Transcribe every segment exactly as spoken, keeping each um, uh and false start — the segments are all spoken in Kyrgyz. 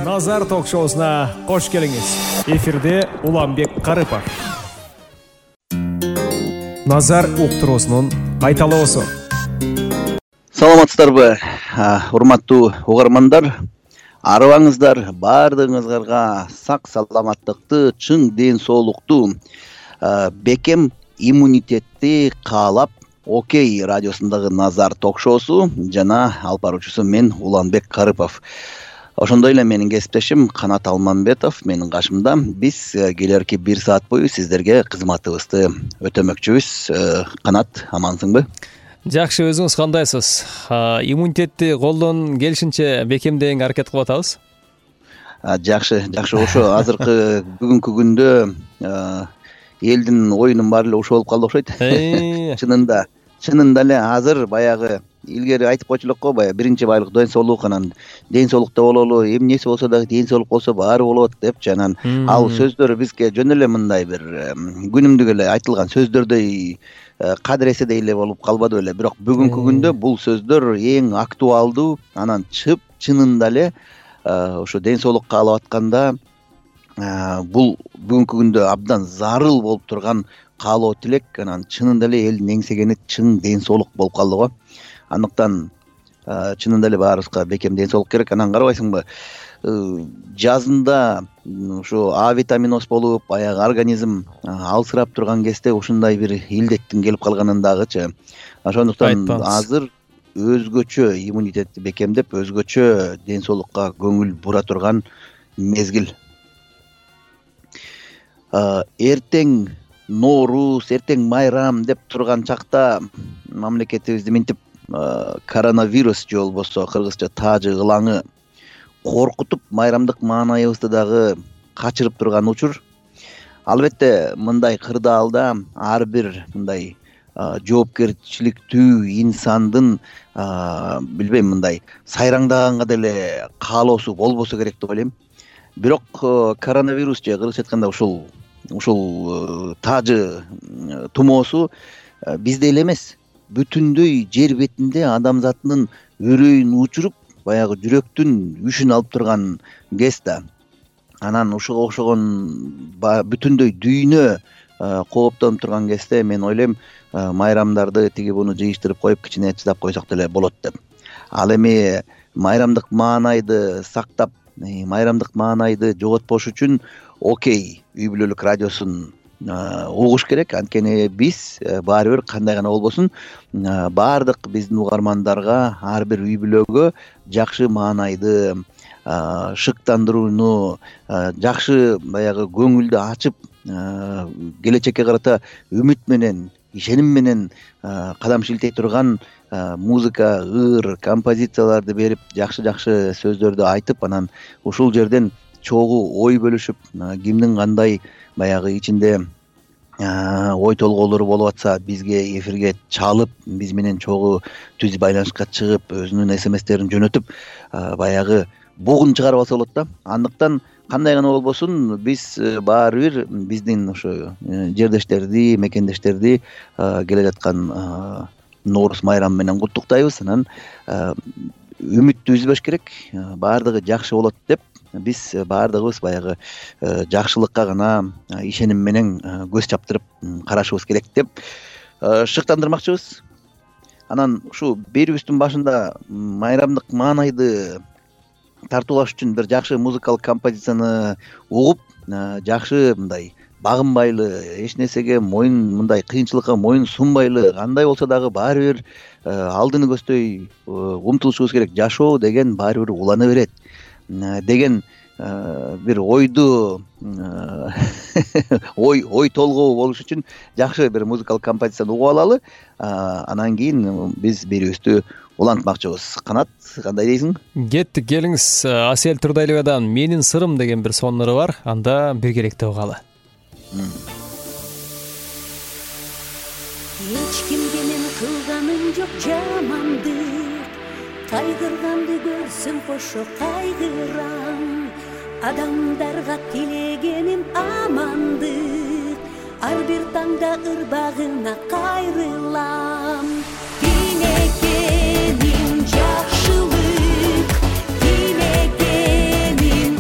Назар ток-шоусуна кош келиңиз. Эфирде Уланбек Карыпов. Назар уктуруусунун кайталоосу. Саламатсыздарбы, урматтуу угармандар? Арыбаңыздар, баардыгыңыздарга сак саламаттыкты, чың ден соолукту, бекем иммунитетти каалап, Окей радиосундагы Назар ток-шоусу жана алып баруучусу мен Уланбек Карыпов. Ошондой эле менин кесиптешим Канат Алмамбетов менин кашымда. Биз келерки бир саат бою сиздерге кызматыбызды өтөмөкчүбүз. Канат, амансыңбы? Жакшы, өзүңүз кандайсыз? Иммунитетти колдон келишинче бекемдөөгө аракет кылып атабыз. Жакшы, жакшы. Ошо азыркы бүгүнкү күндө элдин оюнун баары эле ушул болуп калды окшойт. Чынында, чынында эле азыр баягы илгери айтып койчулук го, баягы биринчи байлык ден соолук, анан ден соолукта бололу, эмнеси болсо дагы ден соолук болсо баары болот депчи. Анан ал сөздөр бизге жөн эле мындай бир күнүмдүк эле айтылган сөздөрдөй кадыреседей эле болуп калбады беле. Бирок бүгүнкү күндө бул сөздөр эң актуалдуу, анан чып чынында эле ошо ден соолук каалап атканда бул бүгүнкү күндө абдан зарыл болуп турган каалоо тилек. Анан чынында эле элдин эңсегени чың ден соолук болуп калды го. Андыктан чынында эле баарыбызга бекем ден соолук керек. Анан карабайсыңбы, жазында ушу А витаминоз болуп, баягы организм алсырап турган кезде ушундай бир илдеттин келип калганын дагычы. Ошондуктан азыр өзгөчө иммунитетти бекемдеп, өзгөчө ден соолукка көңүл бура турган мезгил. Эртең Норуз, эртең майрам деп турган чакта мамлекетибизди минтип коронавирус же болбосо кыргызча таажы ылаңы коркутуп, майрамдык маанайыбызды дагы качырып турган учур. Албетте мындай кырдаалда ар бир мындай жоопкерчиликтүү инсандын билбейм мындай сайраңдаганга деле каалоосу болбосо керек деп ойлойм. Бирок коронавирус же кыргызча айтканда ушул ушул таажы тумоосу бизде эле эмес, бүтүндөй жер бетинде адамзаттын өрөйүн учуруп, баягы жүрөктүн үшүн алып турган кез да. Анан ушуга окшогон бүтүндөй дүйнө кооптонуп турган кезде мен ойлойм, майрамдарды тиги буну жыйыштырып коюп, кичине чыдап койсок деле болот деп. Ал эми майрамдык маанайды сактап, майрамдык маанайды жоготпош үчүн Окей үй бүлөлүк радиосун угуш керек. Анткени биз баары бир кандай гана болбосун, баардык биздин угармандарга, ар бир үй бүлөгө жакшы маанайды, шыктандырууну, жакшы баягы көңүлдү ачып, келечекке карата үмүт менен, ишеним менен кадам шилтей турган музыка, ыр, композицияларды берип, жакшы-жакшы сөздөрдү айтып, анан ушул жерден чогуу ой бөлүшүп, кимдин кандай баягы ичинде ой толгоолору болуп атса, бизге эфирге чалып, биз менен чогуу түз байланышка чыгып, өзүнүн смстерин жөнөтүп, баягы бугун чыгарып алса болот да. Андыктан кандай гана болбосун, биз баары бир биздин ошо жердештерди, мекендештерди келе жаткан Норуз майрамы менен куттуктайбыз. Анан үмүттү үзбөш керек, баардыгы жакшы болот деп, биз баардыгыбыз баягы жакшылыкка гана ишеним менен көз чаптырып карашыбыз керек деп шыктандырмакчыбыз. Анан ушу берүүбүздүн башында майрамдык маанайды тартуулаш үчүн бир жакшы музыкалык композицияны угуп, жакшы мындай багынбайлы, эч нерсеге моюн мындай кыйынчылыкка моюн сунбайлы, кандай болсо дагы баары бир алдыны көздөй умтулушубуз керек. Жашоо деген баары бир улана берет деген бир ойду ой ой толгоо болуш үчүн жакшы бир музыкалык композицияны угуп алалы. Анан кийин биз берүүбүздү улантмакчыбыз. Канат, кандай дейсиң? Кеттик, келиңиз. Асель Турдайлыбадан "Менин сырым" деген бир соннору бар. Анда биргеликте угалы. Эч кимге мен кылганым жок жамандык, кайгырганды көрсөм кошо кайгырам. Адамдарга тилегеним амандык, ар бир таңда ырбагына кайрылам. Тилегеним жакшылык, тилегеним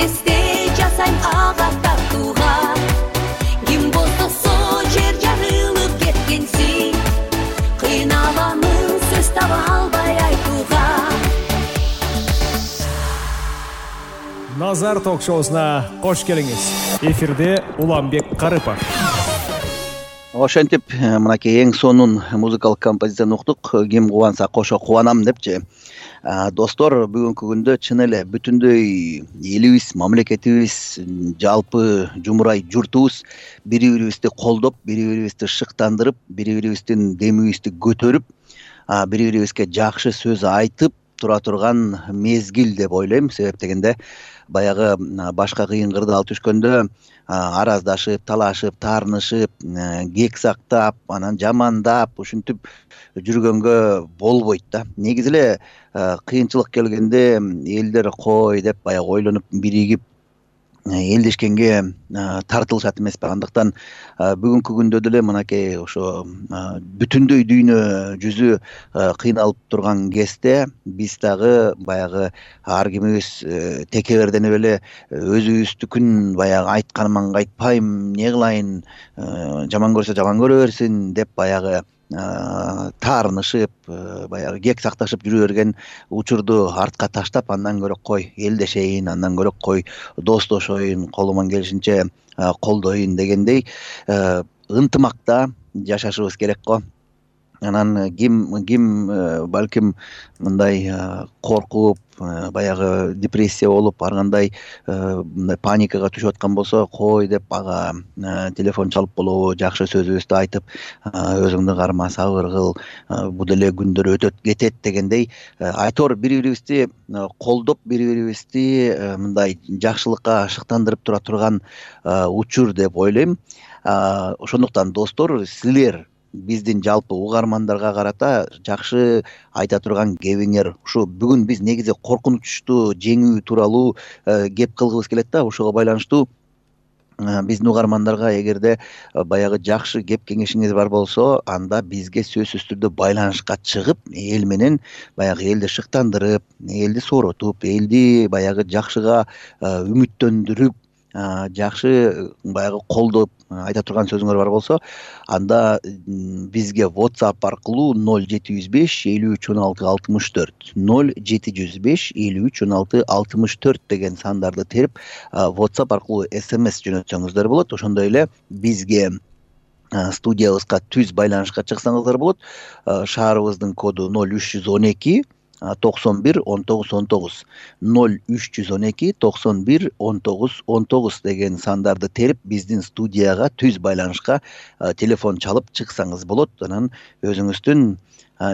эсте жасайм ага тартууга. Ким болсо жер жарылып кеткенсиң, кыйналамын сөз таба албай айтууга. Назар ток-шоусуна кош келиңиз. Эфирде Уланбек Карыпов. Ошентип мынакей эң сонун музыкалык композицияны уктук. Ким кубанса кошо кубанам депчи. Достор, бүгүнкү күндө чын эле бүтүндөй элибиз, мамлекетибиз, жалпы жумурай журтубуз бири-бирибизди колдоп, бири-бирибизди шыктандырып, бири-бирибиздин демибизди көтөрүп, бири-бирибизге жакшы сөз айтып тура турган мезгил деп ойлойм. Себеп дегенде баягы башка кыйын кырдаал түшкөндө араздашып, талашып, таарнышып, кек сактап, анан жамандап, ушинтип жүргөнгө болбойт да. Негизи эле кыйынчылык келгенде элдер кой деп баягы ойлонуп биригип элдешкенге тартылышат эмеспи. Андыктан бүгүнкү күндө деле мынакей ошо бүтүндөй дүйнө жүзү кыйналып турган кезде биз дагы баягы ар кимибиз текеберденип эле өзүбүздүкүн баягы айтканыма кайтпайм, не кылайын, жаман көрсө жаман көрө берсин деп баягы таарнышып, баягы кек сакташып жүрө берген учурду артка таштап, андан көрө кой элдешейин, андан көрө кой достошоюн, колуман келишинче колдоюн дегендей ынтымакта жашашыбыз керек го. Анан ким ким балким мындай коркуп, баягы депрессия болуп, ар кандай мындай паникага түшүп аткан болсо, кой деп ага телефон чалып болобу, жакшы сөзүбүздү айтып, өзүңдү карма, сабыр кыл, бул деле күндөр өтөт кетет дегендей айтор бири-бирибизди колдоп, бири-бирибизди мындай жакшылыкка шыктандырып тура турган учур деп ойлойм. Ошондуктан достор, силер биздин жалпы угармандарга карата жакшы айта турган кебиңер ушу. Бүгүн биз негизи коркунучту жеңүү тууралуу кеп кылгыбыз келет да. Ошого байланыштуу биздин угармандарга эгерде баягы жакшы кеп кеңешиңиз бар болсо, анда бизге сөзсүз түрдө байланышка чыгып, эл менен баягы элди шыктандырып, элди сооротуп, элди баягы жакшыга үмүттөндүрүп, жакшы баягы колдоп айта турган сөзүңөр бар болсо, анда бизге WhatsApp аркылуу ноль жети жүз беш элүү үч он алты алтымыш төрт ноль жети жүз беш элүү үч он алты алтымыш төрт деген сандарды терип WhatsApp аркылуу эс эм эс жөнөтсөңүздөр болот. Ошондой эле бизге студиябызга түз байланышка чыксаңыздар болот. Шаарыбыздын коду ноль үч жүз он эки токсон бир он тогуз он тогуз ноль үч жүз он эки токсон бир он тогуз он тогуз деген сандарды терип биздин студияга түз байланышка телефон чалып чыксаңыз болот. Анан өзүңүздүн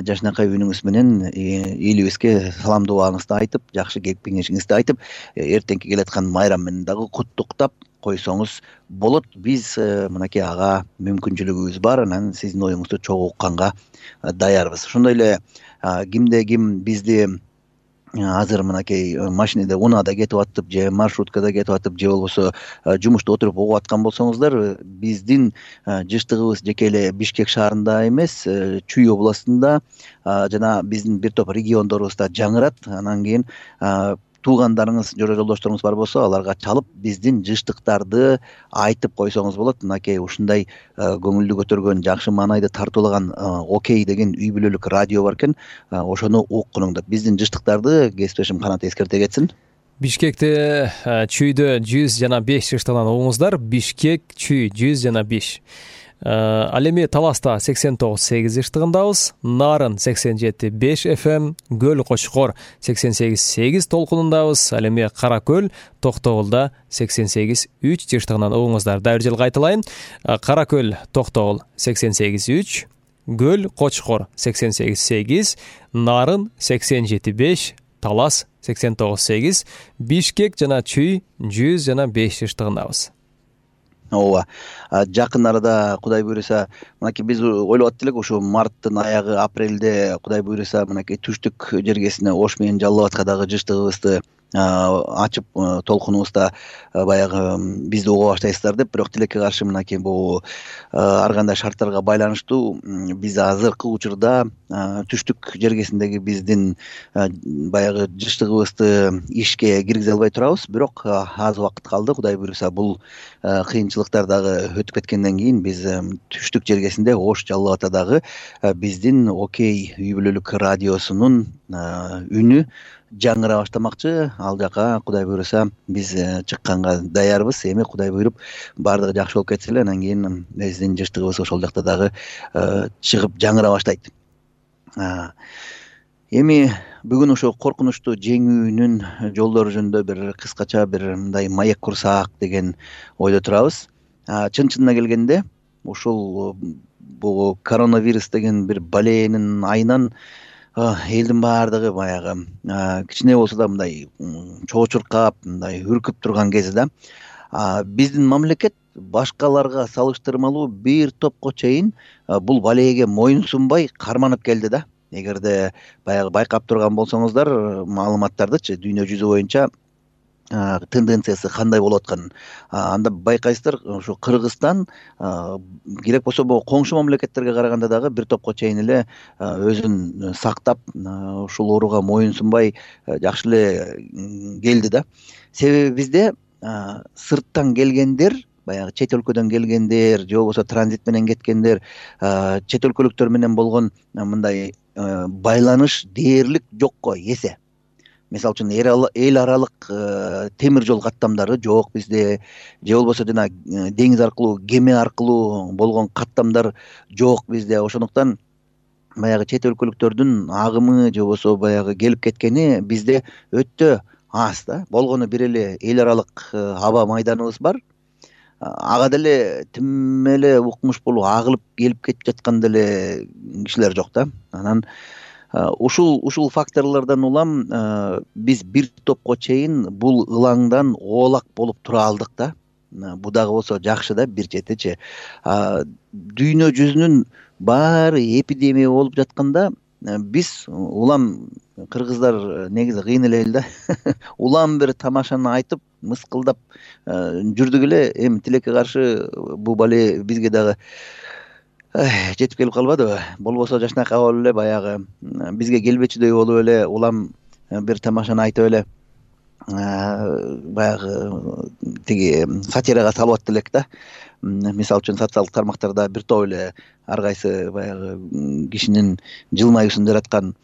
жашынакай үнүңүз менен элибизге саламдообуңузду айтып, жакшы кеп кеңешиңизди айтып, эртеңки келаткан майрам менен дагы куттуктап койсоңуз болот. Биз мынакей ага мүмкүнчүлүгүбүз бар, анан сиздин оюңузду чогуу укканга даярбыз. Ошондой эле кимде ким бизди азыр мынакей машинеде, унаада кетип атып, же маршруткада кетип атып, же болбосо жумушта отуруп угуп аткан болсоңуздар, биздин жыштыгыбыз жеке эле Бишкек шаарында эмес, Чүй областында жана биздин бир топ региондорубузда жаңырат. Анан кийин туугандарыңыз, жора жолдошторуңуз бар болсо, аларга чалып биздин жыштыктарды айтып койсоңуз болот. Мынакей ушундай көңүлдү көтөргөн, жакшы маанайды тартуулаган Окей деген үй бүлөлүк радио бар экен. Ошону уккунуң деп биздин жыштыктарды кесиптешим Канат эскерте кетсин. Бишкекте Чүйдө жүз жана беш жыштыгынан угуңуздар. Бишкек, Чүй жүз жана беш. Ал эми Таласта сексен тогуз сегиз жыштыгындабыз, Нарын сексен жети беш эф эм, Көл Кочкор сексен сегиз сегиз толкунундабыз. Ал эми Кара Көл Токтогулда сексен сегиз үч жыштыгынан угуңуздар. Дайыр жыл кайталайын. Кара Көл Токтогул сексен сегиз үч, Көл Кочкор сексен сегиз сегиз, Нарын сексен жети беш, Талас сексен тогуз сегиз, Бишкек жана Чүй жүз жана беш жыштыгындабыз. Ооба. Жакын арада Кудай буйруса, мынакей биз ойлоп аттык элек, ушу марттын аягы, апрелде Кудай буйруса мынакей түштүк жергесине Ош менен Жалал Абадка дагы жыштыгыбызды ачып толкунубузда баягы бизди уга баштайсыздар деп, бирок тилекке каршы мынакей бул ар кандай шарттарга байланыштуу биз азыркы учурда түштүк жергесиндеги биздин баягы жыштыгыбызды ишке киргизе албай турабыз. Бирок аз убакыт калды, Кудай буйруса бул кыйынчылыктар дагы өтүп кеткенден кийин биз түштүк жергесинде Ош Жалал Абаддагы биздин Окей үй бүлөлүк радиосунун үнү жаңыра баштамакчы. Ал жака Кудай буйруса биз чыкканга даярбыз. Эми Кудай буйруп баардыгы жакшы болуп кетсе эле, анан кийин биздин жыштыгыбыз ошол жакта дагы чыгып жаңыра баштайт. Эми бүгүн ошо коркунучту жеңүүнүн жолдору жөнүндө бир кыскача бир мындай маек курсак деген ойдо турабыз. Чын чынына келгенде ушул бул коронавирус деген бир баленин айынан элдин баардыгы баягы кичине болсо да мындай чоочуркап, мындай үркүп турган кези да. Биздин мамлекет башкаларга салыштырмалуу бир топко чейин бул балеге моюнсунбай карманып келди да. Эгерде баягы байкап турган болсоңуздар маалыматтардычы, дүйнө жүзү боюнча тенденциясы кандай болуп атканын анда байкайсыздар. Ушу Кыргызстан керек болсо бул коңшу мамлекеттерге караганда дагы бир топко чейин эле өзүн сактап ушул ооруга моюнсунбай жакшы эле келди да. Себеби бизде сырттан келгендер, баягы чет өлкөдөн келгендер же болбосо транзит менен кеткендер, чет өлкөлүктөр менен болгон мындай байланыш дээрлик жокко эсе. Мисалы үчүн эл аралык темир жол каттамдары жок бизде, же болбосо жана деңиз аркылуу, кеме аркылуу болгон каттамдар жок бизде. Ошондуктан баягы чет өлкөлүктөрдүн агымы же болбосо баягы келип кеткени бизде өтө аз да. Болгону бир эле эл аралык аба майданыбыз бар. Ага деле тим эле укмуш болуп агылып келип кетип жаткан деле кишилер жок да. Анан ушул ушул факторлордон улам биз бир топко чейин бул ылаңдан оолак болуп тура алдык да. Бул дагы болсо жакшы да бир четичи. Дүйнө жүзүнүн баары эпидемия болуп жатканда биз улам кыргыздар негизи кыйын эле эл да. Улам бир тамашаны айтып, мыскылдап жүрдүк эле. Эми тилекке каршы бул бале бизге дагы жетип келип калбадыбы? Болбосо жашынакай болуп эле баягы бизге келбечүдөй болуп эле улам бир тамашаны айтып эле баягы тиги сатирага салып атты элек да. Мисалы үчүн социалдык тармактарда бир топ эле ар кайсы баягы кишинин жылмаюусын жараткан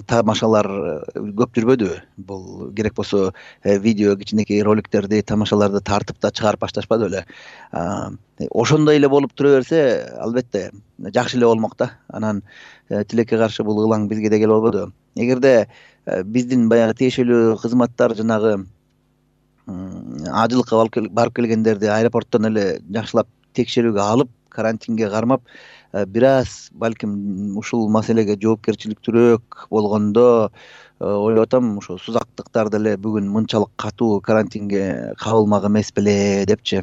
тамашалар көп жүрбөдүбү? Бул керек болсо видео кичинекей роликтерди, тамашаларды тартып да чыгарып башташпады беле? Ошондой эле болуп тура берсе, албетте жакшы эле болмок да. Анан тилекке каршы бул ылаң бизге да келип албадыбы? Эгерде биздин баягы тиешелүү кызматтар жанагы ажылыкка барып келгендерди аэропорттон эле жакшылап текшерүүгө алып, карантинге кармап, бир аз балким ушул маселеге жоопкерчиликтүүрөөк болгондо ойлоп атам, ошо сузактыктар деле бүгүн мынчалык катуу карантинге кабылмак эмес беле депчи.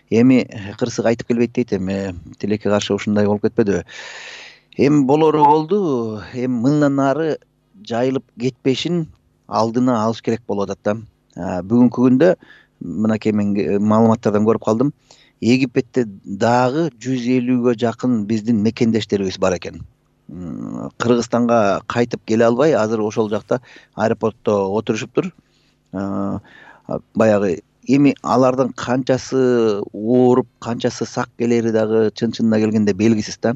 Эми кырсык айтып келбейт дейт, эми тилекке каршы ушундай болуп кетпедиби? Эми болору болду, эми мындан ары жайылып кетпешин алдына алыш керек болуп атат да. Бүгүнкү күндө мынакей мен маалыматтардан көрүп калдым. Египетте дагы жүз элүүгө жакын биздин мекендештерибиз бар экен. Кыргызстанга кайтып келе албай, азыр ошол жакта аэропортто отурушуптур. Баягы эми алардын канчасы ооруп, канчасы сак келери дагы чын чынына келгенде белгисиз да.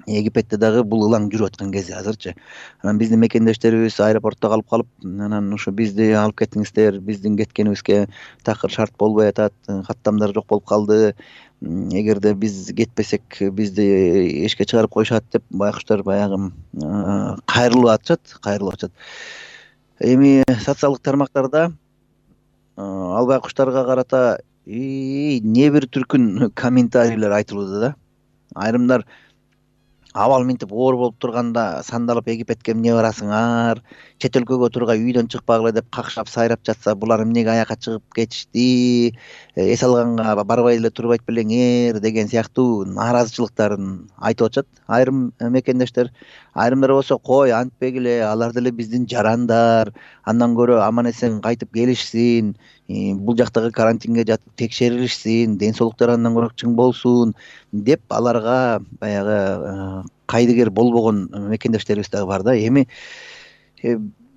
Египетте дагы бул ылаң жүрүп аткан кези азырчы. Анан биздин мекендештерибиз аэропортто калып калып, анан ошо бизди алып кетиңиздер, биздин кеткенибизге такыр шарт болбой атат, каттамдар жок болуп калды. Эгерде биз кетпесек, бизди эшикке чыгарып коюшат деп байкуштар баягы кайрылып атышат, кайрылып атышат. Эми социалдык тармактарда ал байкуштарга карата не бир түркүн комментарийлер айтылууда да. Айрымдар абал минтип оор болуп турганда сандалып египетке эмне барасыңар, чет өлкөгө тургай үйдөн чыкпагыла деп какшап сайрап жатса, булар эмнеге аякка чыгып кетишти, эс алганга барбай эле турбайт белеңер деген сыяктуу нааразычылыктарын айтып атышат айрым мекендештер. Айрымдар болсо кой антпегиле, алар деле биздин жарандар, андан көрө аман эсен кайтып келишсин, бул жактагы карантинге жатып текшерилишсин, ден соолуктары андан көрө чың болсун деп аларга баягы кайдыгер болбогон мекендештерибиз дагы бар да. Эми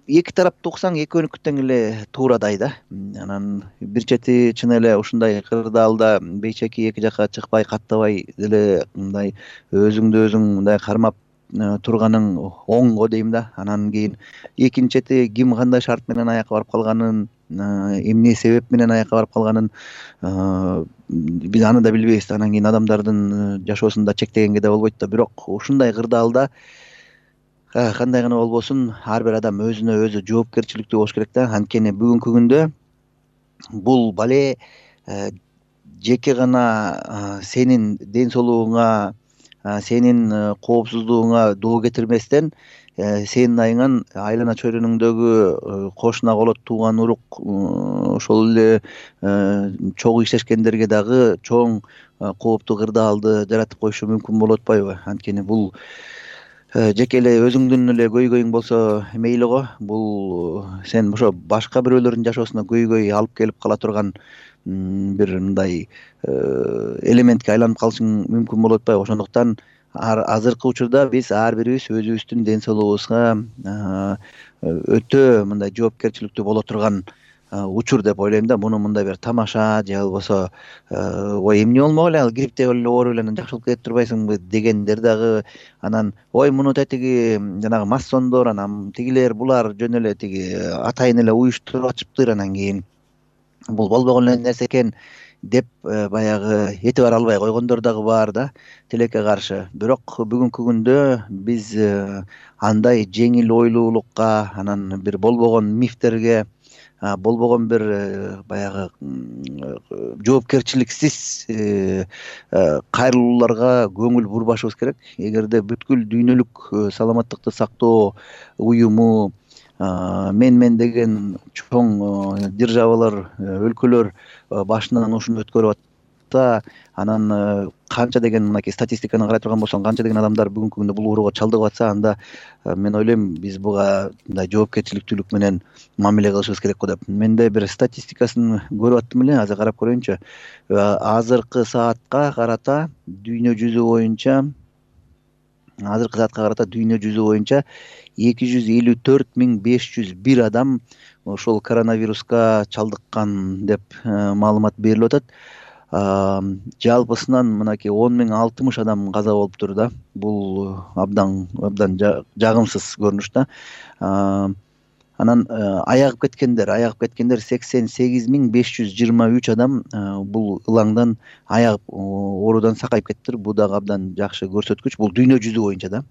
эки тарапты уксаң экөөнүкү тең эле туурадай да. Анан бир чети чын эле ушундай кырдаалда бейчеки эки жакка чыкпай каттабай деле мындай өзүңдү өзүң мындай кармап турганың оңго дейм да. Анан кийин экинчи чети ким кандай шарт менен аякка барып калганын, эмне себеп менен аякка барып калганын биз аны да билбейбиз. Анан кийин адамдардын жашоосун да чектегенге да болбойт да. Бирок ушундай кырдаалда кандай гана болбосун ар бир адам өзүнө өзү жоопкерчиликтүү болуш керек да. Анткени бүгүнкү күндө бул бале жеке гана сенин ден соолугуңа, сенин коопсуздугуңа доо кетирместен, сенин айыңан айлана чөйрөңдөгү кошуна колот, тууган урук, ошол эле чогуу иштешкендерге дагы чоң кооптуу кырдаалды жаратып коюшу мүмкүн болуп атпайбы? Анткени бул жеке эле өзүңдүн эле көйгөйүң болсо мейли го, бул сен ошо башка бирөөлөрдүн жашоосуна көйгөй алып келип кала турган бир мындай элементке айланып калышың мүмкүн болуп атпайбы? Ошондуктан азыркы учурда биз ар бирибиз өзүбүздүн ден соолугубузга өтө мындай жоопкерчиликтүү боло турган учур деп ойлойм да. Муну мындай бир тамаша же болбосо ой эмне болмок эле, ал грипптеп эле ооруп эле анан жакшы болуп кетип турбайсыңбы дегендер дагы, анан ой муну тетиги жанагы массондор, анан тигилер булар жөн эле тиги атайын эле уюштуруп атышыптыр, анан кийин бул болбогон эле нерсе экен деп баягы этибар албай койгондор дагы бар да, тилекке каршы. Бирок бүгүнкү күндө биз андай жеңил ойлуулукка, анан бир болбогон мифтерге, болбогон бир баягы жоопкерчиликсиз кайрылууларга көңүл бурбашыбыз керек. Эгерде бүткүл дүйнөлүк саламаттыкты сактоо уюму, мен мен деген чоң державалар, өлкөлөр башынан ушуну өткөрүп атса, анан канча деген мынакей статистиканы карай турган болсоң, канча деген адамдар бүгүнкү күндө бул ооруга чалдыгып атса, анда мен ойлойм биз буга мындай жоопкерчиликтүүлүк менен мамиле кылышыбыз керек го деп. Менде бир статистикасын көрүп аттым эле, азыр карап көрөйүнчү. Азыркы саатка карата дүйнө жүзү боюнча азыркы саатка карата дүйнө жүзү боюнча эки жүз элүү төрт миң беш жүз бир адам ошол коронавируска чалдыккан деп маалымат берилип атат. Жалпысынан мынакей он миң алтымыш адам каза болуптур да. Бул абдан абдан жагымсыз көрүнүш да. Анан аягып кеткендер, аягып кеткендер сексен сегиз миң беш жүз жыйырма үч адам бул ылаңдан аягып оорудан сакайып кеттир. Бул дагы абдан жакшы көрсөткүч. Бул дүйнө жүзү боюнча да.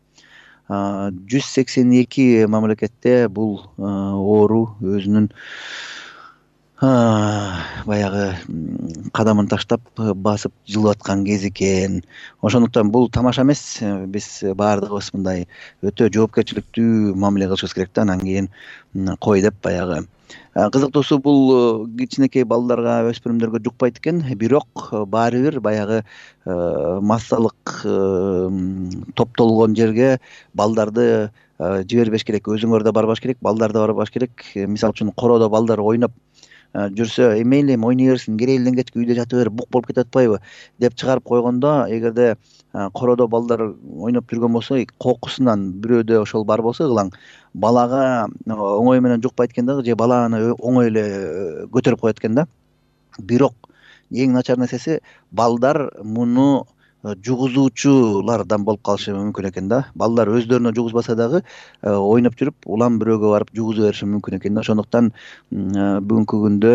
жүз сексен эки мамлекетте бул оору өзүнүн баягы кадамын таштап басып жылып аткан кез экен. Ошондуктан бул тамаша эмес. Биз баардыгыбыз мындай өтө жоопкерчиликтүү мамиле кылышыбыз керек да. Анан кийин кой деп баягы. Кызыктуусу бул кичинекей балдарга, өспүрүмдөргө жукпайт экен. Бирок баары бир баягы массалык топтолгон жерге балдарды жибербеш керек. Өзүңөр да барбаш керек, балдар да барбаш керек. Мисалы үчүн короодо балдар ойноп жүрсө, эмейли эми ойной берсин, керейлден кечки үйдө жатып бер, бук болуп кетип атпайбы деп чыгарып койгондо, эгерде короодо балдар ойноп жүргөн болсо, кокусунан бирөөдө ошол бар болсо ылаң, балага оңой менен жукпайт экен дагы, же баланы оңой эле көтөрүп коет экен да. Бирок эң начар нерсеси, балдар муну жугузуучулардан болуп калышы мүмкүн экен да. Балдар өздөрүнө жугузбаса дагы ойноп жүрүп, улам бирөөгө барып жугузу бериши мүмкүн экен да. Ошондуктан бүгүнкү күндө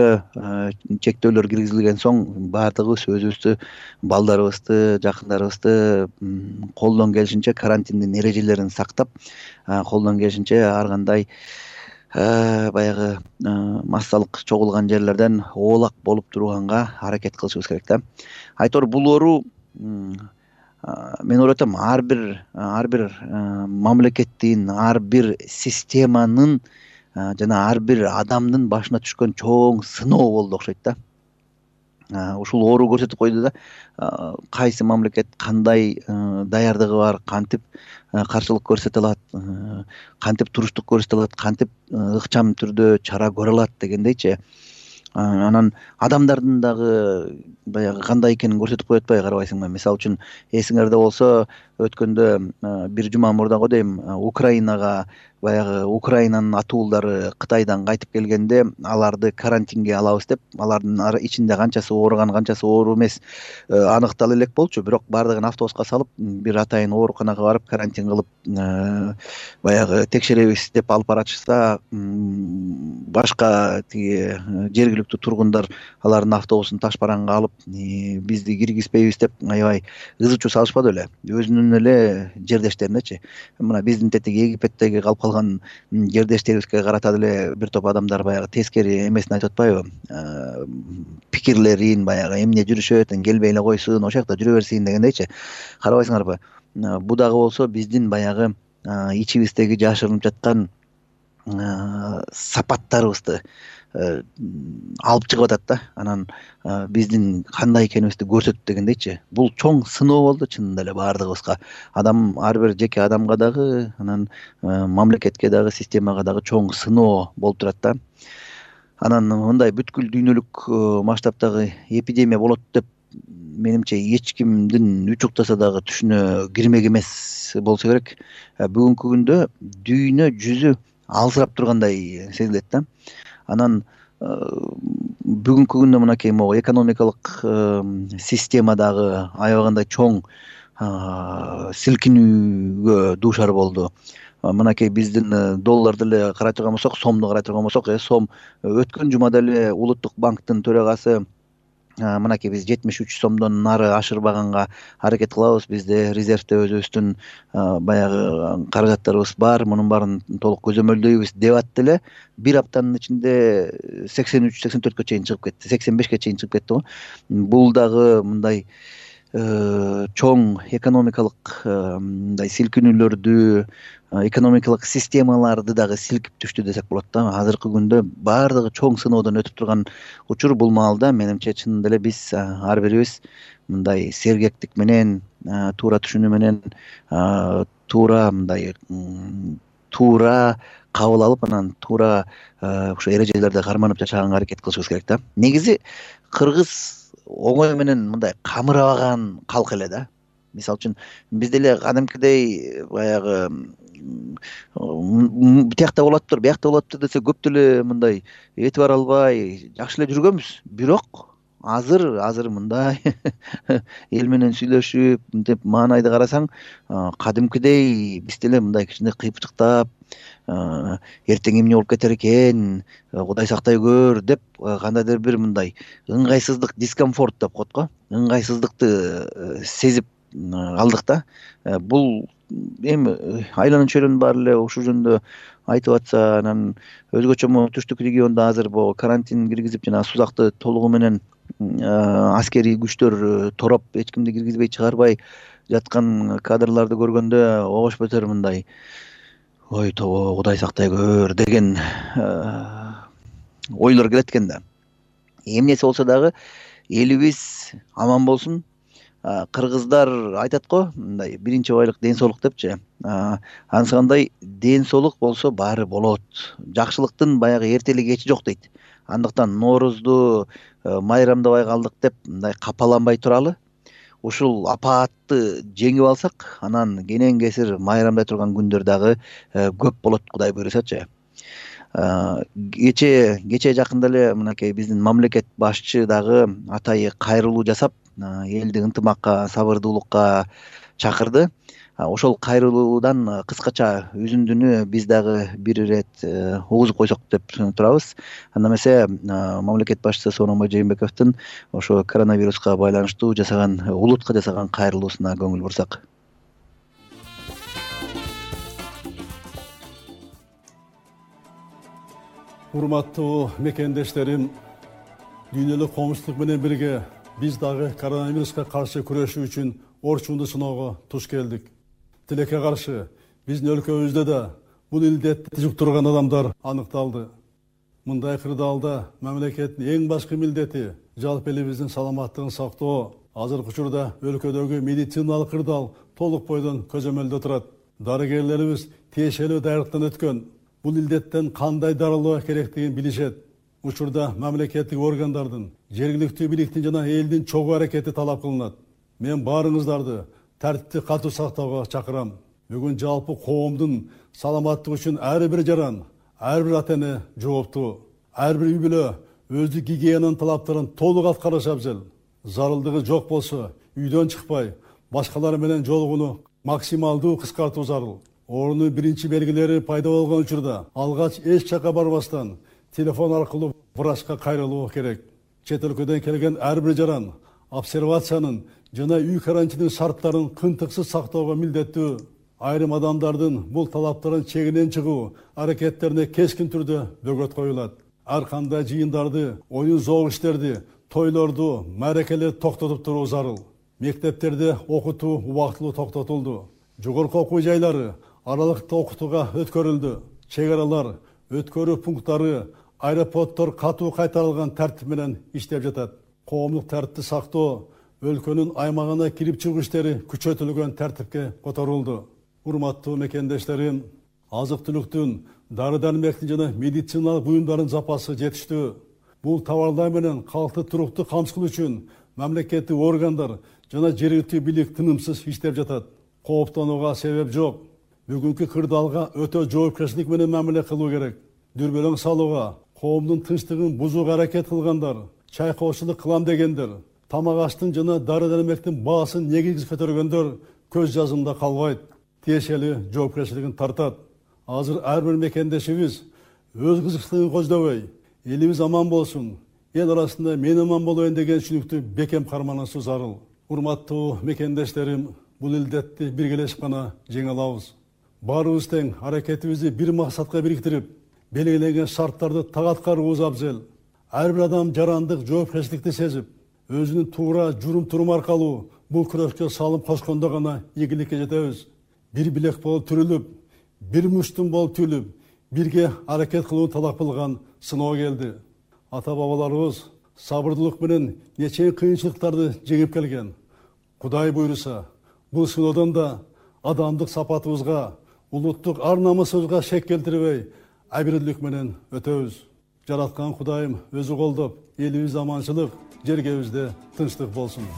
чектөөлөр киргизилген соң баардыгыбыз өзүбүздү, балдарыбызды, жакындарыбызды колдон келишинче карантиндин эрежелерин сактап, колдон келишинче ар кандай баягы массалык чогулган жерлерден оолак болуп турганга аракет кылышыбыз керек да. Айтор бул оору мен ойлоп атам, ар бир ар бир мамлекеттин, ар бир системанын жана ар бир адамдын башына түшкөн чоң сыноо болду окшойт да. Ушул оору көрсөтүп койду да, кайсы мамлекет кандай даярдыгы бар, кантип каршылык көрсөтө алат, кантип туруштук көрсөтө алат, кантип ыкчам түрдө чара көрө алат дегендейчи. Анан адамдардын дагы баягы кандай экенин көрсөтүп коет атпайбы, карабайсыңбы? Мисалы үчүн эсиңерде болсо, өткөндө бир жума мурда го дейм, Украинага баягы Украинанын атуулдары Кытайдан кайтып келгенде аларды карантинге алабыз деп, алардын ичинде канчасы ооруган, канчасы оору эмес аныктала элек болчу. Бирок баардыгын автобуска салып, бир атайын ооруканага барып карантин кылып, баягы текшеребиз деп алып баратышса, башка тиги жергиликтүү тургундар алардын автобусун таш бараңга алып, бизди киргизбейбиз деп аябай ызы чуу салышпады беле, өзүнүн эле жердештеринечи. Мына биздин тетиги Египеттеги калып калган жердештерибизге карата деле бир топ адамдар баягы тескери эмесин айтып атпайбы, пикирлерин баягы эмне жүрүшөт, келбей эле койсун, ошол жакта жүрө берсин дегендейчи. Карабайсыңарбы? Бу дагы болсо биздин баягы ичибиздеги жашырынып жаткан сапаттарыбызды алып чыгып атат да. Анан биздин кандай экенибизди көрсөтөт дегендейчи. Бул чоң сыноо болду чынында эле баардыгыбызга. Адам, ар бир жеке адамга дагы, анан мамлекетке дагы, системага дагы чоң сыноо болуп турат да. Анан мындай бүткүл дүйнөлүк масштабтагы эпидемия болот деп менимче эч кимдин үч уктаса дагы түшүнө кирмек эмес болсо керек. Бүгүнкү күндө дүйнө жүзү алсырап тургандай сезилет да. Анан бүгүнкү күндө мынакей могу экономикалык система дагы аябагандай чоң силкинүүгө дуушар болду. Мынакей биздин долларды эле карай турган болсок, сомду карай турган болсок, сом өткөн жумада эле Улуттук банктын төрагасы мынакей биз жетимиш үч сомдон нары ашырбаганга аракет кылабыз, бизде резервде өзүбүздүн баягы каражаттарыбыз бар, мунун баарын толук көзөмөлдөйбүз деп атты эле, бир аптанын ичинде сексен үч сексен төрткө чейин чыгып кетти, сексен бешке чейин чыгып кетти го. Бул дагы мындай чоң экономикалык мындай силкинүүлөрдү, экономикалык системаларды дагы силкип түштү десек болот да. Азыркы күндө баардыгы чоң сыноодон өтүп турган учур. Бул маалда менимче чынында эле биз ар бирибиз мындай сергектик менен, туура түшүнүү менен, туура мындай туура кабыл алып, анан туура ошо эрежелерди карманып жашаганга аракет кылышыбыз керек да. Негизи кыргыз оңой менен мындай камырабаган калк эле да. Мисалы үчүн биз деле кадимкидей баягы бутякта болоптур, биякта болоптур десе көп деле мындай эти бара албай жакшы эле жүргөнбүз. Бирок азыр азыр мындай эл менен сүйлөшүп мынтип маанайды карасаң, кадимкидей биз деле мындай кичине кыйпычыктап, эртең эмне болуп кетер экен, Кудай сактай көр деп кандайдыр бир мындай ыңгайсыздык, дискомфорт деп коет го, ыңгайсыздыкты сезип алдык да. Бул эми айланын чөйрөнүн баары эле ушул жөнүндө айтып атса, анан өзгөчө могу түштүк региондо азыр бул карантин киргизип, жана сузакты толугу менен аскерий күчтөр тороп, эч кимди киргизбей чыгарбай жаткан кадрларды көргөндө огош бетер мындай ой тобо Кудай сактай көр деген ойлор келет экен да. Эмнеси болсо дагы элибиз аман болсун. Кыргыздар айтат го, мындай биринчи байлык ден соолук депчи. Ансыкандай ден соолук болсо баары болот. Жакшылыктын баягы эртели кечи жок дейт. Андыктан Ноорузду майрамдабай калдык деп мындай капаланбай туралы. Ушул апаатты жеңип алсак, анан кенен кесир майрамдай турган күндөр дагы көп болот, Кудай буйрусачы. Кече кече жакында эле мынакей биздин мамлекет башчы дагы атайы кайрылуу жасап, элди ынтымакка, сабырдуулукка чакырды. Ошол кайрылуудан кыскача үзүндүнү биз дагы бир ирет угузуп койсок деп турабыз. Анда эмесе мамлекет башчысы Сооронбай Жээнбековдун ошо коронавируска байланыштуу жасаган, улутка жасаган кайрылуусуна көңүл бурсак. Урматтуу мекендештерим, дүйнөлүк коомчулук менен бирге биз дагы коронавируска каршы күрөшүү үчүн орчунду сыноого туш келдик. Тилекке каршы биздин өлкөбүздө да бул илдетти жуктурган адамдар аныкталды. Мындай кырдаалда мамлекеттин эң башкы милдети жалпы элибиздин саламаттыгын сактоо. Азыркы учурда өлкөдөгү медициналык кырдаал толук бойдон көзөмөлдө турат. Дарыгерлерибиз тиешелүү даярдыктан өткөн. Бул илдеттен кандай дарылоо керектигин билишет. Учурда мамлекеттик органдардын, жергиликтүү бийликтин жана элдин чогуу аракети талап кылынат. Мен баарыңыздарды тартипти катуу сактоого чакырам. Бүгүн жалпы коомдун саламаттыгы үчүн ар бир жаран, ар бир ата-эне жооптуу. Ар бир үй бүлө өздүк гигиенанын талаптарын толук аткарыш абзел. Зарылдыгы жок болсо, үйдөн чыкпай, башкалар менен жолугууну максималдуу кыскартуу зарыл. Оорунун биринчи белгилери пайда болгон учурда алгач эч жакка барбастан телефон аркылуу врачка кайрылуу керек. Чет өлкөдөн келген ар бир жаран обсервациянын жана үй карантинин шарттарын кынтыксыз сактоого милдеттүү. Айрым адамдардын бул талаптарын чегинен чыгуу аракеттерине кескин түрдө бөгөт коюлат. Ар кандай жыйындарды, оюн зоок иштерди, тойлорду, мааракелерди токтотуп туруу зарыл. Мектептерде окутуу убактылуу токтотулду. Жогорку окуу жайлары аралыктуу окутууга өткөрүлдү. Чек аралар, өткөрүү пункттары, аэропорттор катуу кайтарылган тартип менен иштеп жатат. Коомдук тартипти сактоо, өлкөнүн аймагына кирип чыгуу иштери күчөтүлгөн тартипке которулду. Урматтуу мекендештерим, азык-түлүктүн, дары-дармектин жана медициналык буюмдардын запасы жетиштүү. Бул товарлар менен калкты туруктуу камсыздоо үчүн мамлекеттик органдар жана жергиликтүү бийлик тынымсыз иштеп жатат. Кооптонууга себеп жок. Бүгүнкү кырдаалга өтө жоопкерчилик менен мамиле кылуу керек. Дүрбөлөң салууга, коомдун тынчтыгын бузууга аракет кылгандар, чайкоочулук кылам дегендер, тамак аштын жана дары-дармектин баасын негизсиз көтөргөндөр көз жазымда калбайт. Тиешелүү жоопкерчилигин тартат. Азыр ар бир мекендешибиз өз кызыкчылыгын көздөбөй, элибиз аман болсун, эл арасында мен аман болоюн деген түшүнүктү бекем карманышуу зарыл. Урматтуу мекендештерим, бул илдетти биргелешип гана жеңе алабыз. Баарыбыз тең аракетибизди бир максатка бириктирип, белгиленген шарттарды так аткарууубуз абзел. Ар бир адам жарандык жоопкерчиликти сезип, өзүнүн туура журум-турум аркылуу бул күрөшкө салым кошкондо гана ийгиликке жетебиз. Бир билек болуп түрүлүп, бир муштум болуп түлүп, бирге аракет кылуу талап кылган сыноо келди. Ата-бабаларыбыз сабырдуулук менен нече кыйынчылыктарды жеңип келген. Кудай буйруса, бул сыноодон да адамдык сапатыбызга, улуттук ар-намысыбызга шек келтирбей, абийирлик менен өтөбүз. Жараткан Кудайым өзү колдоп, элибиз аманчылык, жергебизде тынчтык болсун.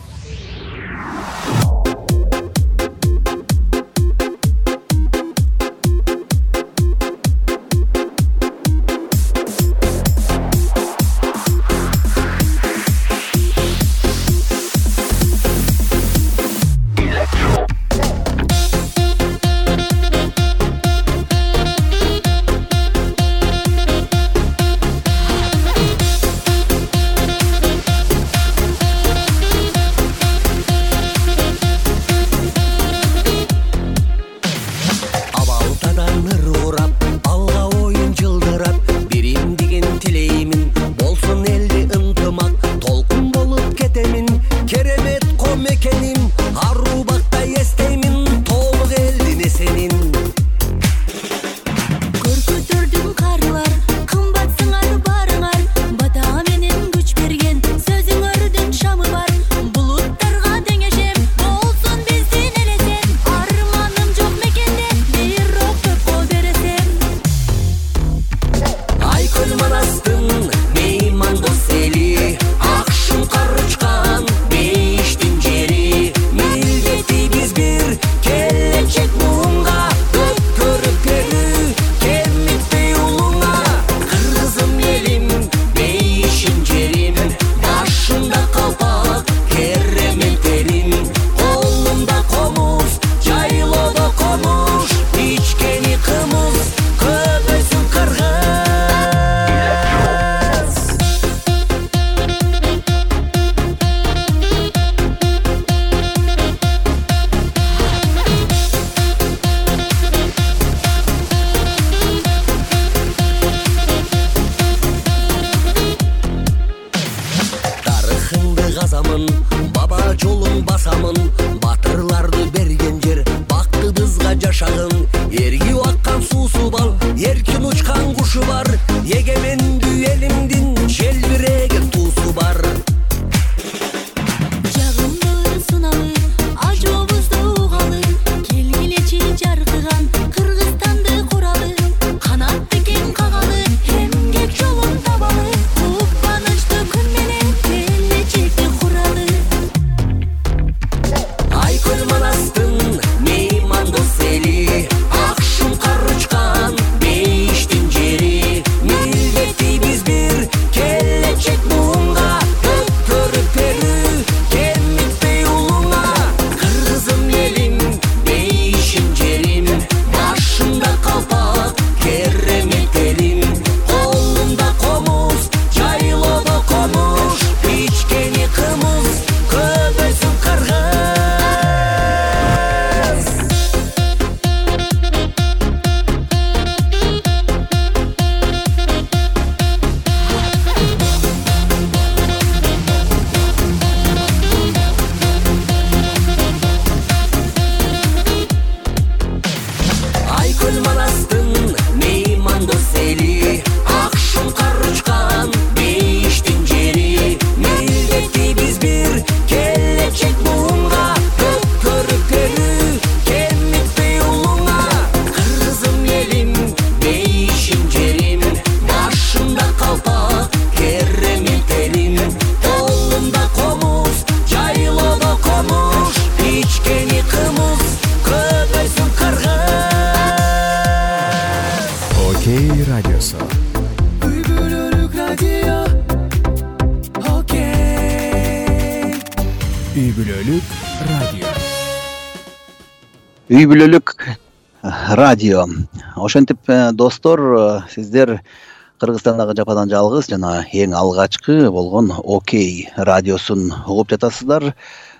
баба жолун басамын, батырларды берген жер бактыбызга жашагын. Эргип аккан суусу бал, эркин учкан кушу бар, эгемендүү элимдин желбиреген туусу бар. Жагымды сыналы, ажообузду угалы, келгилечи жаркыган Кыргызстанды куралы, канатты кең кагалы, эмгек жолун табалы, кубанычты күн менен келечекти куралы. Айкөл Манастын меймандос эли, ак шуңкар учкан бейиштин жери, милдеттейбиз бир келечек буунга, өткөрүп берүү кемитпей улуңа. Кыргызым элим, бейишим жерим, башымда калпак, керемет элим, колумда комуз, жайлоодо комуш, ичкени кымыз, көбөйсүн кыргыз. Айкөл Манастын меймандос эли, ак шуңкар учкан бейиштин жери, милдеттейбиз бир келечек буунга, өткөрүп берүү кемитпей улуңа. Кыргызым элим, бейишим жерим, башымда калпак, керемет элим, колумда комуз, жайлоодо комуш, ичкени кымыз, көбөйсүн кыргыз. Окей радиосу. Үй бүлөлүк радио. Окей. Үй бүлөлүк радио. Үй бүлөлүк радио. Ошентип э, достор, э, сиздер Кыргызстандагы жападан жалгыз жана эң алгачкы болгон Окей радиосун угуп жатасыздар.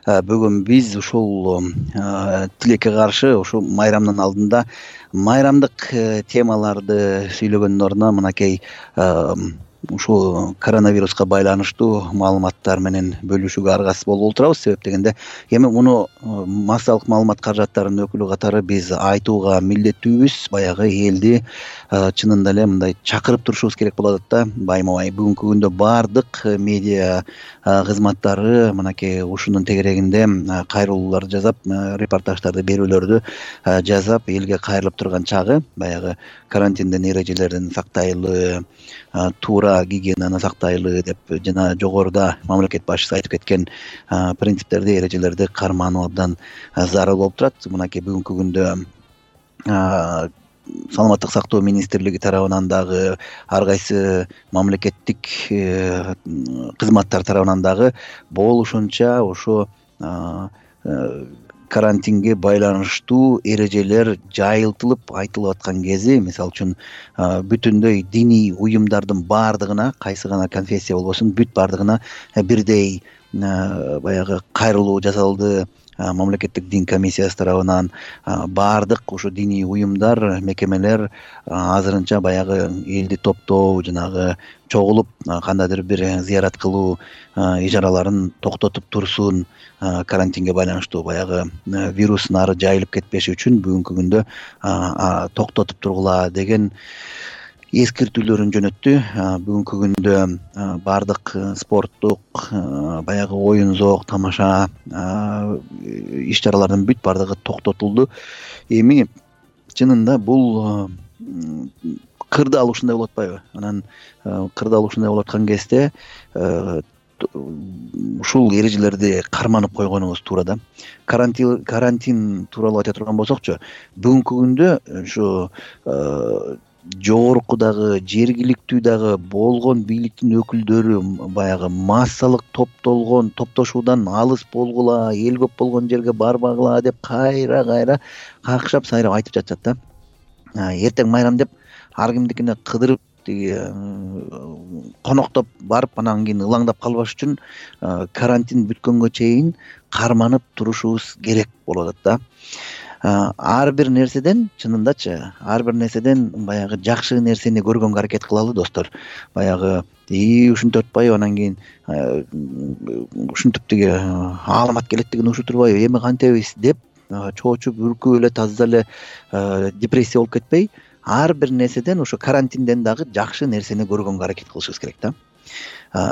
Э, Бүгүн биз ушул э, тилекке каршы ушул майрамдын алдында майрамдык э, темаларды сүйлөгөндүн ордуна мынакей э, ушул коронавируска байланыштуу маалыматтар менен бөлүшүүгө аргасыз болуп отурабыз. Себеп дегенде эми муну э, массалык маалымат каражаттарынын өкүлү катары биз айтууга милдеттүүбүз. Баягы элди э, чынында эле мындай чакырып турушубуз керек болот да. Байма-бай бүгүнкү күндө баардык э, медиа э, кызматтары мынакей ушунун тегерегинде э, кайрылууларды жасап, э, репортаждарды, берүүлөрдү э, жасап, элге кайрылып турган чагы, баягы карантиндин эрежелерин сактайлы, э, туура гигиенаны сактайлы деп жана жогоруда мамлекет башчысы айтып кеткен э, принциптерди, эрежелерди кармануу абдан э, зарыл болуп турат. Мынакей бүгүнкү күндө э, саламаттык сактоо министрлиги тарабынан дагы, ар кайсы мамлекеттик э, кызматтар тарабынан дагы болушунча ошо э, э, карантинге байланыштуу эрежелер жайылтылып айтылып аткан кези, мисалы үчүн э, бүтүндөй диний уюмдардын баардыгына, кайсы гана конфессия болбосун, бүт баардыгына э, бирдей э, баягы кайрылуу жасалды. Э, мамлекеттик дин комиссиясы тарабынан э, баардык ушу диний уюмдар, мекемелер э, азырынча баягы элди топтоо, жанагы чогулуп э, кандайдыр бир зыярат кылуу э, ижараларын токтотуп турсун, э, карантинге байланыштуу баягы э, вирус нары жайылып кетпеши үчүн бүгүнкү күндө э, токтотуп тургула деген эскертүүлөрүн жөнөттү. Бүгүнкү күндө баардык спорттук, баягы оюн зоок, тамаша иш чаралардын бүт баардыгы токтотулду. Эми чынында бул кырдаал ушундай болуп атпайбы? Анан кырдаал ушундай болуп аткан кезде ушул эрежелерди карманып койгонубуз туура да. Карантин карантин тууралуу айта турган болсокчу, бүгүнкү күндө ушу жогоркудагы, жергиликтүү дагы болгон бийликтин өкүлдөрү баягы массалык топтолгон, топтошуудан алыс болгула, эл көп болгон жерге барбагыла деп кайра кайра какшап сайрап айтып жатышат да. Эртең майрам деп ар кимдикине кыдырып, тиги коноктоп барып, анан кийин ылаңдап калбаш үчүн карантин бүткөнгө чейин карманып турушубуз керек болуп атат да. Ар бир нерседен, чынындачы, ар бир нерседен баягы жакшы нерсени көргөнгө аракет кылалы достор. Баягы и ушинтип атпайбы, анан кийин ушинтип тиги аламат келет деген ушинтип турбайбы, эми кантебиз деп чоочуп үркүп эле таза эле депрессия болуп кетпей, ар бир нерседен ошо карантинден дагы жакшы нерсени көргөнгө аракет кылышыбыз керек да.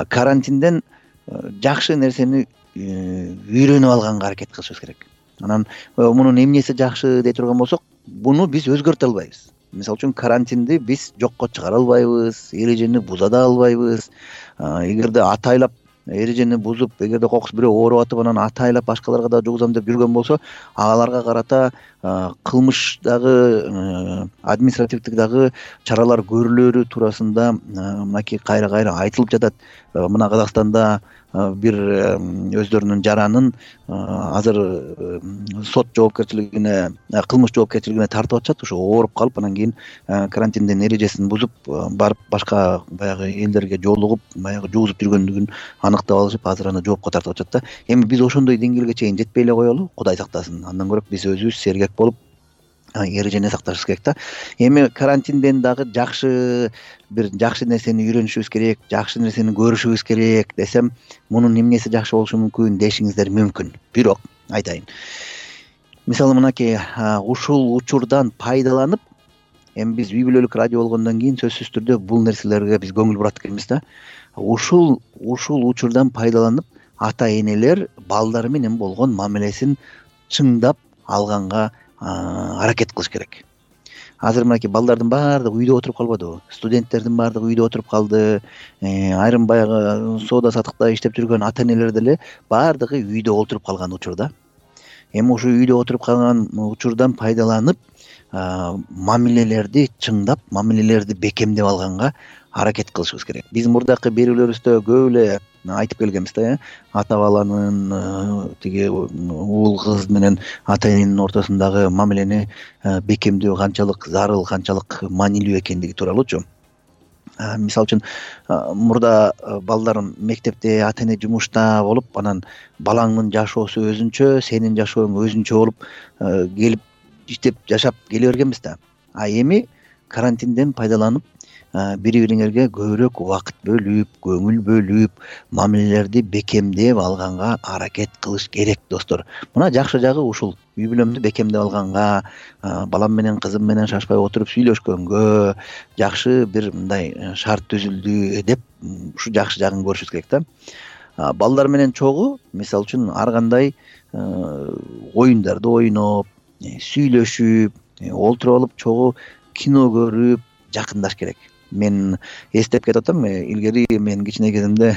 Карантинден жакшы нерсени үйрөнүп алганга аракет кылышыбыз керек. Анан мунун эмнеси жакшы дей турган болсок, буну биз өзгөртө албайбыз. Мисалы үчүн карантинди биз жокко чыгара албайбыз, эрежени буза да албайбыз. Эгерде атайлап эрежени бузуп, эгерде кокус бирөө ооруп атып, анан атайлап башкаларга да жугузам деп жүргөн болсо, аларга карата кылмыш дагы, административдик дагы чаралар көрүлөрү туурасында мынакей кайра кайра айтылып жатат. Мына Казакстанда бир өздөрүнүн жаранын азыр сот жоопкерчилигине, кылмыш жоопкерчилигине тартып атышат. Ошо ооруп калып, анан кийин карантиндин эрежесин бузуп барып башка баягы элдерге жолугуп, баягы жугузуп жүргөндүгүн аныктап алышып, азыр аны жоопко тартып атышат да. Эми биз ошондой деңгээлге чейин жетпей эле коелу, Кудай сактасын. Андан көрө биз өзүбүз сергек болуп эрежени сакташыбыз керек да. Эми карантинден дагы жакшы бир жакшы нерсени үйрөнүшүбүз керек, жакшы нерсени көрүшүбүз керек десем, мунун эмнеси жакшы болушу мүмкүн дешиңиздер мүмкүн. Бирок айтайын. Мисалы мынакей ушул учурдан пайдаланып, эми биз үй бүлөлүк радио болгондон кийин сөзсүз түрдө бул нерселерге биз көңүл бурат экенбиз да. Ушул ушул учурдан пайдаланып, ата-энелер балдары менен болгон мамилесин чыңдап алганга аракет кылыш керек. Азыр мынакей балдардын баардыгы үйдө отуруп калбадыбы? Студенттердин баардыгы үйдө отуруп калды. Айрым баягы соода сатыкта иштеп жүргөн ата-энелер деле баардыгы үйдө отуруп калган учурда. Эми ушу үйдө отуруп калган учурдан пайдаланып, мамилелерди чыңдап, мамилелерди бекемдеп алганга аракет кылышыбыз керек. Биз мурдакы берүүлөрүбүздө көп эле айтып келгенбиз да, ата баланын тиги уул кыз менен ата эненин ортосундагы мамилени бекемдөө канчалык зарыл, канчалык маанилүү экендиги тууралуучу. Мисалы үчүн мурда балдар мектепте, ата эне жумушта болуп, анан балаңдын жашоосу өзүнчө, сенин жашооң өзүнчө болуп келип иштеп жашап келе бергенбиз да. А эми карантинден пайдаланып, бири-бириңерге көбүрөөк убакыт бөлүп, көңүл бөлүп, мамилелерди бекемдеп алганга аракет кылыш керек, достор. Мына жакшы жагы ушул. Үй бүлөмдү бекемдеп алганга, балам менен кызым менен шашпай отуруп сүйлөшкөнгө жакшы бир мындай шарт түзүлдү деп, ушу жакшы жагын көрүшүбүз керек да. Балдар менен чогуу, мисалы үчүн ар кандай оюндарды ойноп, сүйлөшүп, олтуруп алып чогуу кино көрүп жакындаш керек. Мен эстеп кетип атам, илгери мен кичине кезимде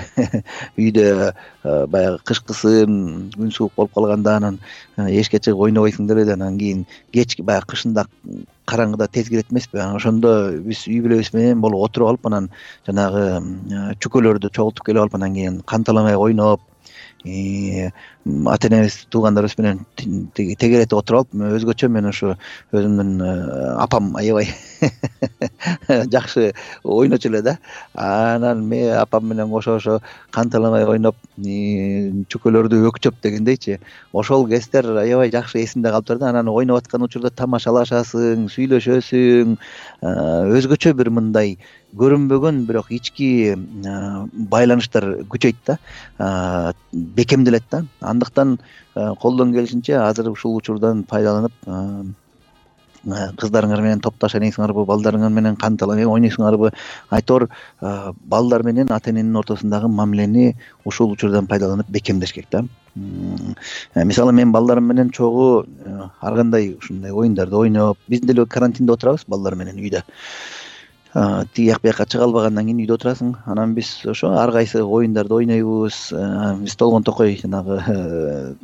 үйдө баягы кышкысын, күн суук болуп калганда анан эшикке чыгып ойнобойсуң деле, анан кийин кечки баягы кышында караңгыда тез кирет эмеспи? Ошондо биз үй бүлөбүз менен болуп отуруп алып, анан жанагы чүкөлөрдү чогултуп келип алып, анан кийин канталамай ойноп, ата энебиз, туугандарыбыз менен тегеретип отуруп алып, өзгөчө мен ошо өзүмдүн апам аябай жакшы ойночу эле да. Анан мен апам менен кошо ошо канталамай ойноп, чүкөлөрдү өкчөп дегендейчи. Ошол кездер аябай жакшы эсимде калыптыр да. Анан ойноп аткан учурда тамашалашасың, сүйлөшөсүң, өзгөчө бир мындай көрүнбөгөн бирок ички байланыштар күчөйт да, бекемделет да. Андыктан колдон келишинче азыр ушул учурдан пайдаланып, кыздарыңар менен топтош ойнойсуңарбы, балдарыңар менен канталамай ойнойсуңарбы, айтор балдар менен ата эненин ортосундагы мамилени ушул учурдан пайдаланып бекемдеш керек да. Мисалы мен балдарым менен чогуу ар кандай ушундай оюндарды ойноп, биз деле карантинде отурабыз балдар менен үйдө. Тиги жак бияка чыга албагандан кийин үйдө отурасың. Анан биз ошо ар кайсы оюндарды ойнойбуз. Биз толгон токой жанагы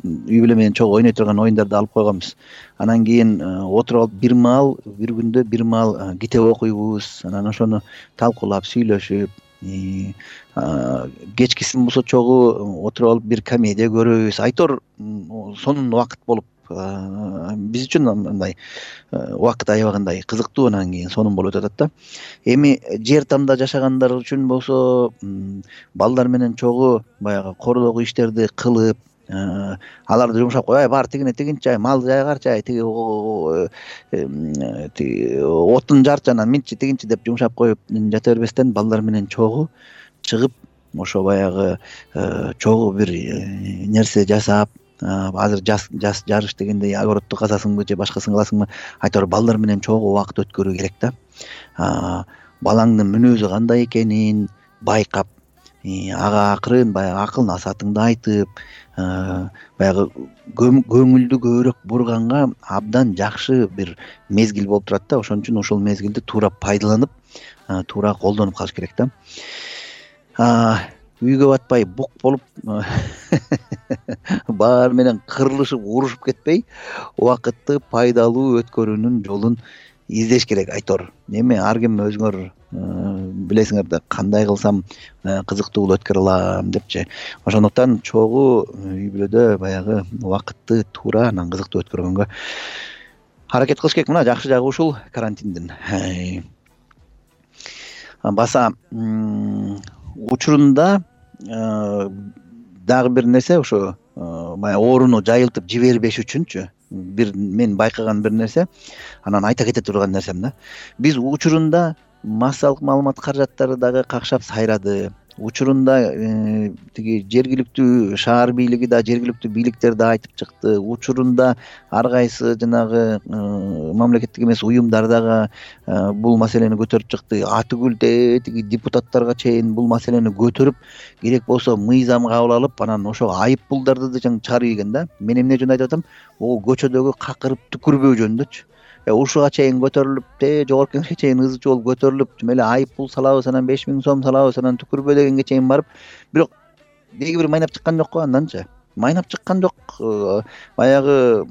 үй бүлө менен чогуу ойной турган оюндарды алып койгонбуз. Анан кийин отуруп алып бир маал, бир күндө бир маал китеп окуйбуз. Анан ошону талкуулап, сүйлөшүп, кечкисин болсо чогуу отуруп алып бир комедия көрөбүз. Айтор сонун убакыт болуп, биз үчүн мындай убакыт аябагандай кызыктуу, анан кийин сонун болуп атат да. Эми жер тамда жашагандар үчүн болсо, балдар менен чогуу баягы кордогу иштерди кылып, аларды жумшап кой, бар тигине тигинчи, мал жайгарчы, тиги отун жарчы, анан минчи тигинчи деп жумшап коюп жата бербестен, балдар менен чогуу чыгып ошо баягы чогуу бир нерсе жасап, азыр жас жас жарыш дегенде огородду казасыңбы же башкасын кыласыңбы, айтор балдар менен чогуу убакыт өткөрүү керек да. Балаңдын мүнөзү кандай экенин байкап, ага акырын баягы акыл насаатыңды айтып, баягы көңүлдү көбүрөөк бурганга абдан жакшы бир мезгил болуп турат да. Ошон үчүн ошол мезгилди туура пайдаланып, туура колдонуп калыш керек да. Үйгө батпай бук болуп баары менен кырылышып урушуп кетпей, убакытты пайдалуу өткөрүүнүн жолун издеш керек айтор. Эми ар ким өзүңөр билесиңер да, кандай кылсам кызыктуу өткөрө алам депчи. Ошондуктан чогуу үй бүлөдө баягы убакытты туура анан кызыктуу өткөргөнгө аракет кылыш керек. Мына жакшы жагы ушул карантиндин. Баса учурунда дагы бир нерсе, ошо баягы ооруну жайылтып жибербеш үчүнчү бир мен байкаган бир нерсе, анан айта кете турган нерсем да. Биз учурунда массалык маалымат каражаттары дагы какшап сайрады. Учурунда тиги жергиликтүү шаар бийлиги да, жергиликтүү бийликтер да айтып чыкты. Учурунда ар кайсы жанагы мамлекеттик эмес уюмдар дагы бул маселени көтөрүп чыкты. Атүгүлдө тиги депутаттарга чейин бул маселени көтөрүп, керек болсо мыйзам кабыл алып, анан ошо айып пулдарды да чыгарып ийген да. Мен эмне үчүн айтып атам? О көчөдөгү какырып түкүрбөө жөнүндөчү. Ушуга чейин көтөрүлүп, те жогорку кеңешке чейин ызы чуу болуп көтөрүлүп, жумеле айып пул салабыз, анан беш миң сом салабыз, анан түкүрбө дегенге чейин барып, бирок деги бир майнап чыккан жок го анданчы. Майнап чыккан жок. Баягы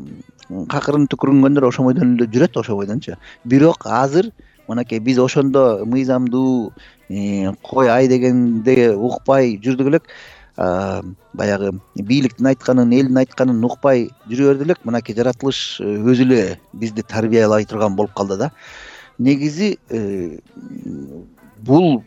какырын түкүрүнгөндөр ошо бойдон эле жүрөт, ошо бойдончу. Бирок азыр мынакей биз ошондо мыйзамдуу кой ай дегенде укпай жүрдүк элек. Баягы бийликтин айтканын, элдин айтканын укпай жүрө берди элек. Мынакей жаратылыш өзү эле бизди тарбиялай турган болуп калды да. Негизи бул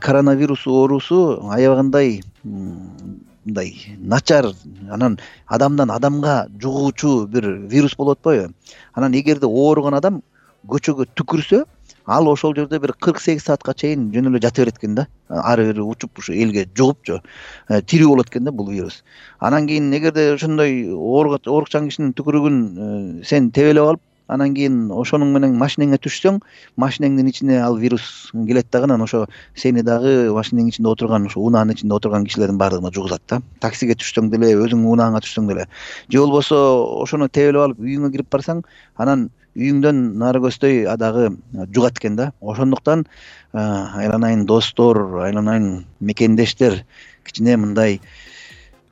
коронавирус оорусу аябагандай мындай начар, анан адамдан адамга жугуучу бир вирус болуп атпайбы? Анан эгерде ооруган адам көчөгө түкүрсө, ал ошол жерде бир кырк сегиз саатка чейин жөн эле жата берет экен да. Ары бери учуп ушу элге жугупчу тирүү болот экен да бул вирус. Анан кийин эгерде ошондой оорукчан кишинин түкүрүгүн сен тебелеп алып, анан кийин ошонун менен машинеңе түшсөң, машинеңдин ичине ал вирус келет дагы, анан ошо сени дагы машинеңдин ичинде отурган, ошо унаанын ичинде отурган кишилердин баардыгына жугузат да. Таксиге түшсөң деле, өзүң унааңа түшсөң деле. Же болбосо ошону тебелеп алып үйүңө кирип барсаң, анан үйүңдөн нары көздөй дагы жугат экен да. Ошондуктан айланайын достор, айланайын мекендештер, кичине мындай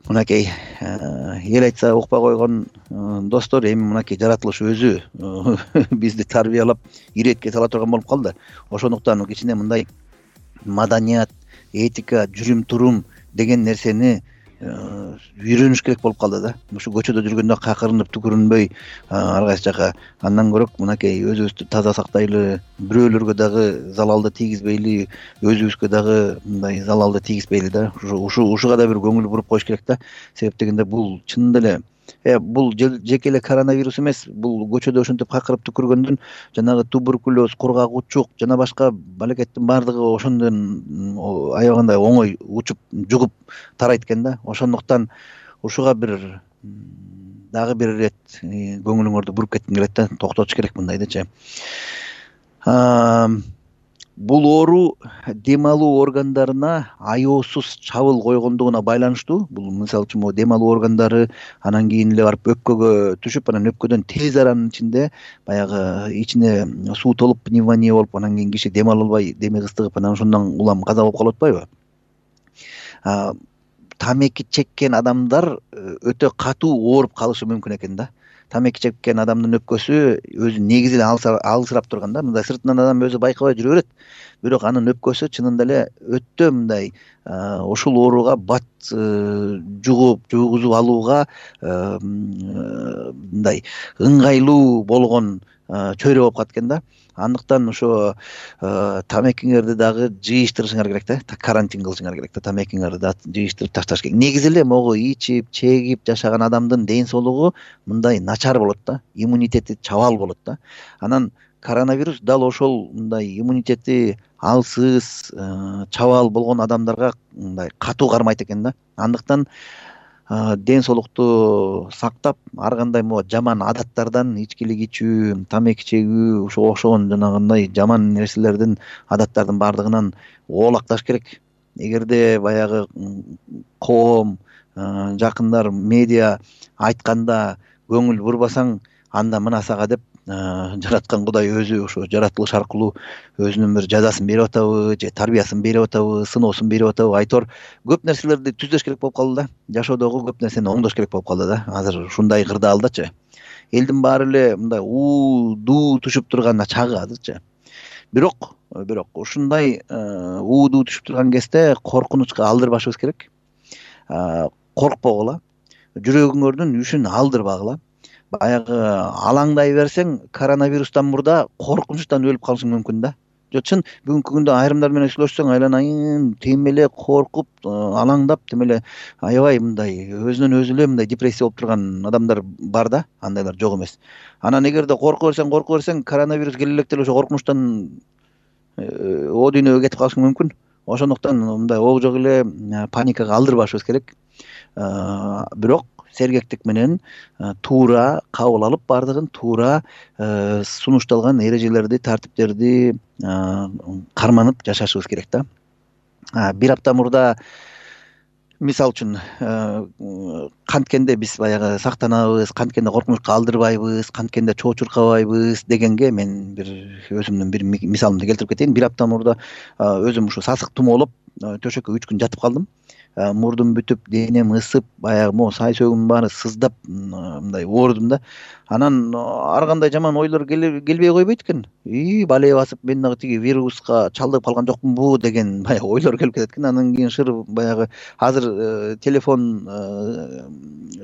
мынакей эл айтса укпай койгон достор, эми мынакей жаратылыш өзү бизди тарбиялап иретке сала турган болуп калды. Ошондуктан кичине мындай маданият, этика, жүрүм турум деген нерсени үйрөнүш керек болуп калды да. Ушу көчөдө жүргөндө какырынып түкүрүнбөй ар кайсы жака, андан көрөк мынакей өзүбүздү таза сактайлы, бирөөлөргө дагы залалды тийгизбейли, өзүбүзгө дагы мындай залалды тийгизбейли да. Ушу ушуга да бир көңүл буруп коюш керек да. Себеп дегенде бул чынында эле Э бул жеке эле коронавирус эмес, бул көчөдө ошентип какырып түкүргөндөн жанагы туберкулез, кургак-учук жана башка балекеттин баардыгы ошондон аябагандай оңой учуп, жугуп тарайт экен да. Ошондуктан ушуга бир дагы бир ирет көңүлүңөрдү буруп кетким келет да, токтотуш керек мындайдычы. Бул оору дем алуу органдарына аеосуз чабыл койгондугуна байланыштуу. Бул мисалы үчүн дем алуу органдары анан кийин эле барып өпкөгө түшүп, анан өпкөдөн тез аранын ичинде баягы ичине суу толуп пневмония болуп, анан кийин киши дем ала албай, деми кыстыгып, анан ошондон улам каза болуп калып атпайбы? Тамеки чеккен адамдар өтө катуу ооруп калышы мүмкүн экен да. Тамеки чеккен адамдын өпкөсү өзү негизи эле алысырап турган да. Мындай сыртынан адам өзү байкабай жүрө берет. Бирок анын өпкөсү чынында эле өтө мындай ушул ооруга бат жугуп, жугузуп алууга мындай ыңгайлуу болгон чөйрө болуп калат экен да. Андыктан ошо тамекиңерди дагы жыйыштырышыңар керек да. Карантин кылышыңар керек да. Тамекиңерди да жыйыштырып ташташ керек. Негизи эле могу ичип, чегип жашаган адамдын ден соолугу мындай начар болот да. Иммунитети чабал болот да. Анан коронавирус дал ошол мындай иммунитети алсыз, чабаал болгон адамдарга мындай катуу кармайт экен да. Андыктан ден соолукту сактап, ар кандай могу жаман адаттардан, ичкилик ичүү, тамеки чегүү, ошого окшогон жанагындай жаман нерселердин, адаттардын баардыгынан оолакташ керек. Эгерде баягы коом, жакындар, медиа айтканда көңүл бурбасаң, анда мына сага деп жараткан Кудай өзү ошо жаратылыш аркылуу өзүнүн бир жазасын берип атабы, же тарбиясын берип атабы, сыноосун берип атабы, айтор көп нерселерди түздөш керек болуп калды да. Жашоодогу көп нерсени оңдош керек болуп калды да. Азыр ушундай кырдаалдачы. Элдин баары эле мындай уу дуу түшүп турган чагы азырчы. Бирок, бирок ушундай уу дуу түшүп турган кезде коркунучка алдырбашыбыз керек. Коркпогула, жүрөгүңөрдүн үшүн алдырбагыла. Баягы алаңдай берсең, коронавирустан мурда коркунучтан өлүп калышың мүмкүн да. Жо чын бүгүнкү күндө айрымдар менен сүйлөшсөң, айланайын тем эле коркуп, алаңдап, тем эле аябай мындай өзүнөн өзү эле мындай депрессия болуп турган адамдар бар да, андайлар жок эмес. Анан эгерде корко берсең, корко берсең, коронавирус келе электе ошо коркунучтан о дүйнөгө кетип калышың мүмкүн. Ошондуктан мындай ого жок эле паникага алдырбашыбыз керек. Бирок сергектик менен туура кабыл алып, баардыгын туура сунушталган эрежелерди, тартиптерди карманып жашашыбыз керек да. Бир апта мурда мисал үчүн канткенде биз баягы сактанабыз, канткенде коркунучка алдырбайбыз, канткенде чоо чуркабайбыз дегенге мен бир өзүмдүн бир мисалымды келтирип кетейин. Бир апта мурда өзүм ушу сасык тумоолоп төшөккө үч күн жатып калдым. Мурдум бүтүп, денем ысып, баягы могу сай сөөгүмдүн баары сыздап, мындай оорудум да. Анан ар кандай жаман ойлор келбей койбойт экен. И балээ басып, мен дагы тиги вируска чалдыгып калган жокмунбу деген баягы ойлор келип кетет экен. Андан кийин шыр баягы азыр телефон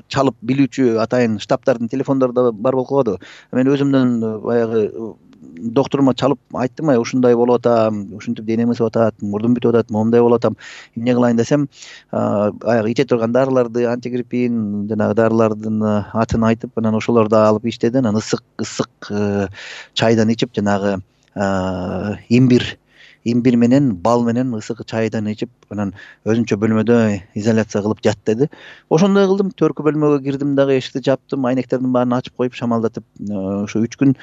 чалып билүүчү атайын штабтардын телефондору да бар болуп калды. Мен өзүмдөн баягы докторума чалып айттым, ай ушундай болуп атам, ушинтип денем ысып атат, мурдум бүтүп атат, момундай болуп атам. Эмне кылайын десем, баягы иче турган дарыларды, антигриппин жанагы дарылардын атын айтып, анан ошолорду алып иштеди. Анан ысык ысык чайдан ичип, жанагы имбир имбир менен, бал менен ысык чайдан ичип, анан өзүнчө бөлмөдө изоляция кылып жат деди. Ошондой кылдым. Төркү бөлмөгө кирдим дагы, эшикти жаптым, айнектердин баарын ачып коюп, шамалдатып, ошо үч күн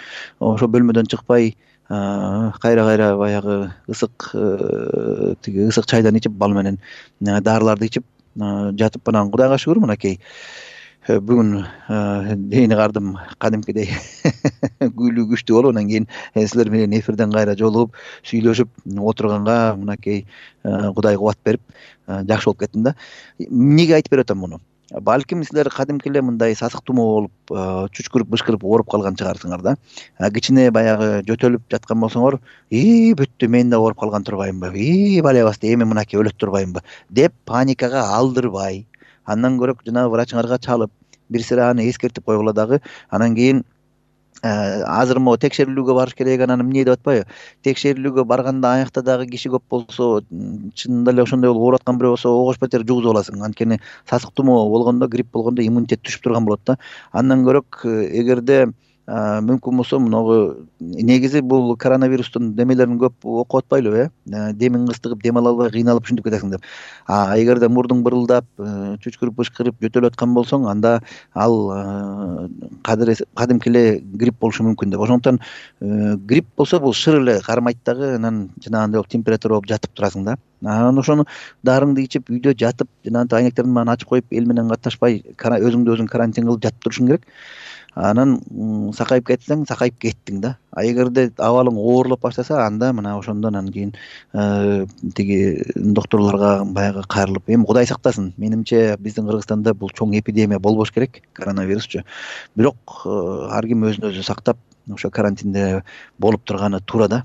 ошо бөлмөдөн чыкпай, кайра-кайра баягы ысык тиги ысык чайдан ичип, бал менен дарыларды ичип жатып, анан Кудайга шүгүр, мынакей бүгүн дейни кардым кадимкидей күйлүү күчтүү болуп, анан кийин силер менен эфирден кайра жолугуп, сүйлөшүп отурганга мынакей Кудай кубат берип жакшы болуп кеттим да. Эмнеге айтып берип атам муну? Балким силер кадимки эле мындай сасык тумоо болуп, чүчкүрүп, бышкырып ооруп калган чыгарсыңар да. Кичине баягы жөтөлүп жаткан болсоңор, "И, бүттү, мен да ооруп калган турбаймынбы? И, бале басты, эми мынакей өлөт турбаймынбы?" деп паникага алдырбай, андан көрө жанагы врачыңарга чалып, бир сыйра аны эскертип койгула дагы. Анан кийин азыр могу текшерилүүгө барыш керек, анан эмне деп атпайбы? Текшерилүүгө барганда аякта дагы киши көп болсо, чынында эле ошондой болуп ооруп аткан бирөө болсо, огош бетер жугузуп аласың. Анткени сасык тумоо болгондо, грипп болгондо иммунитет түшүп турган болот да. Андан көрөк эгерде мүмкүн болсо, мунагу негизи бул коронавирустун демелерин көп окуп атпайлыбы, э? Демиң кыстыгып, дем ала албай кыйналып ушинтип кетесиң деп. А эгерде мурдуң бырылдап, чүчкүрүп, бышкырып жөтөлүп аткан болсоң, анда ал кадимки эле грипп болушу мүмкүн деп. Ошондуктан грипп болсо бул шыр эле кармайт дагы, анан жанагындай болуп температура болуп жатып турасың да. Анан ошону дарыңды ичип, үйдө жатып, жанагындай айнектердин баарын ачып коюп, эл менен катташпай, өзүңдү өзүң карантин кылып жатып турушуң керек. Анан сакайып кетсең, сакайып кеттиң да. А эгерде абалың оорлоп баштаса, анда мына ошондон анан кийин тиги докторлорго баягы кайрылып, эми Кудай сактасын. Менимче биздин Кыргызстанда бул чоң эпидемия болбош керек, коронавирусчу. Бирок ар ким өзүн өзү сактап, ошо карантинде болуп турганы туура да.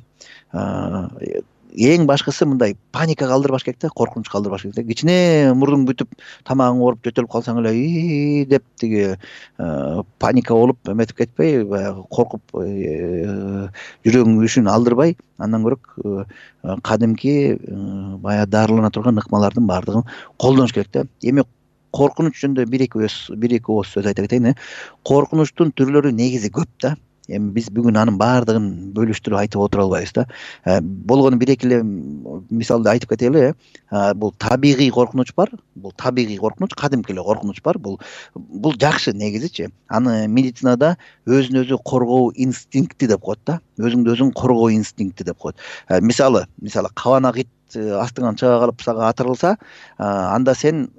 Эң башкысы мындай паникага алдырбаш керек да, коркунучка алдырбаш керек. Кичине мурдуң бүтүп, тамагың ооруп, жөтөлүп калсаң эле и деп тиги паника болуп эметип кетпей, баягы коркуп жүрөгүң үшүн алдырбай, андан көрөк кадимки баягы дарылана турган ыкмалардын баардыгын колдонуш керек да. Эми коркунуч жөнүндө бир эки бир эки ооз сөз айта кетейин. Коркунучтун түрлөрү негизи көп да. эми биз бүгүн анын баардыгын бөлүштүрүп айтып отура албайбыз да. Болгону бир эки эле мисалды айтып кетели. Бул табигый коркунуч бар. Бул табигый коркунуч, кадимки эле коркунуч бар. Бул бул жакшы негизичи. Аны медицинада өзүн өзү коргоо инстинкти деп коет да. Өзүңдү өзүң коргоо инстинкти деп коет. Мисалы, мисалы кабанак ит астыңан чыга калып сага атырылса, анда сен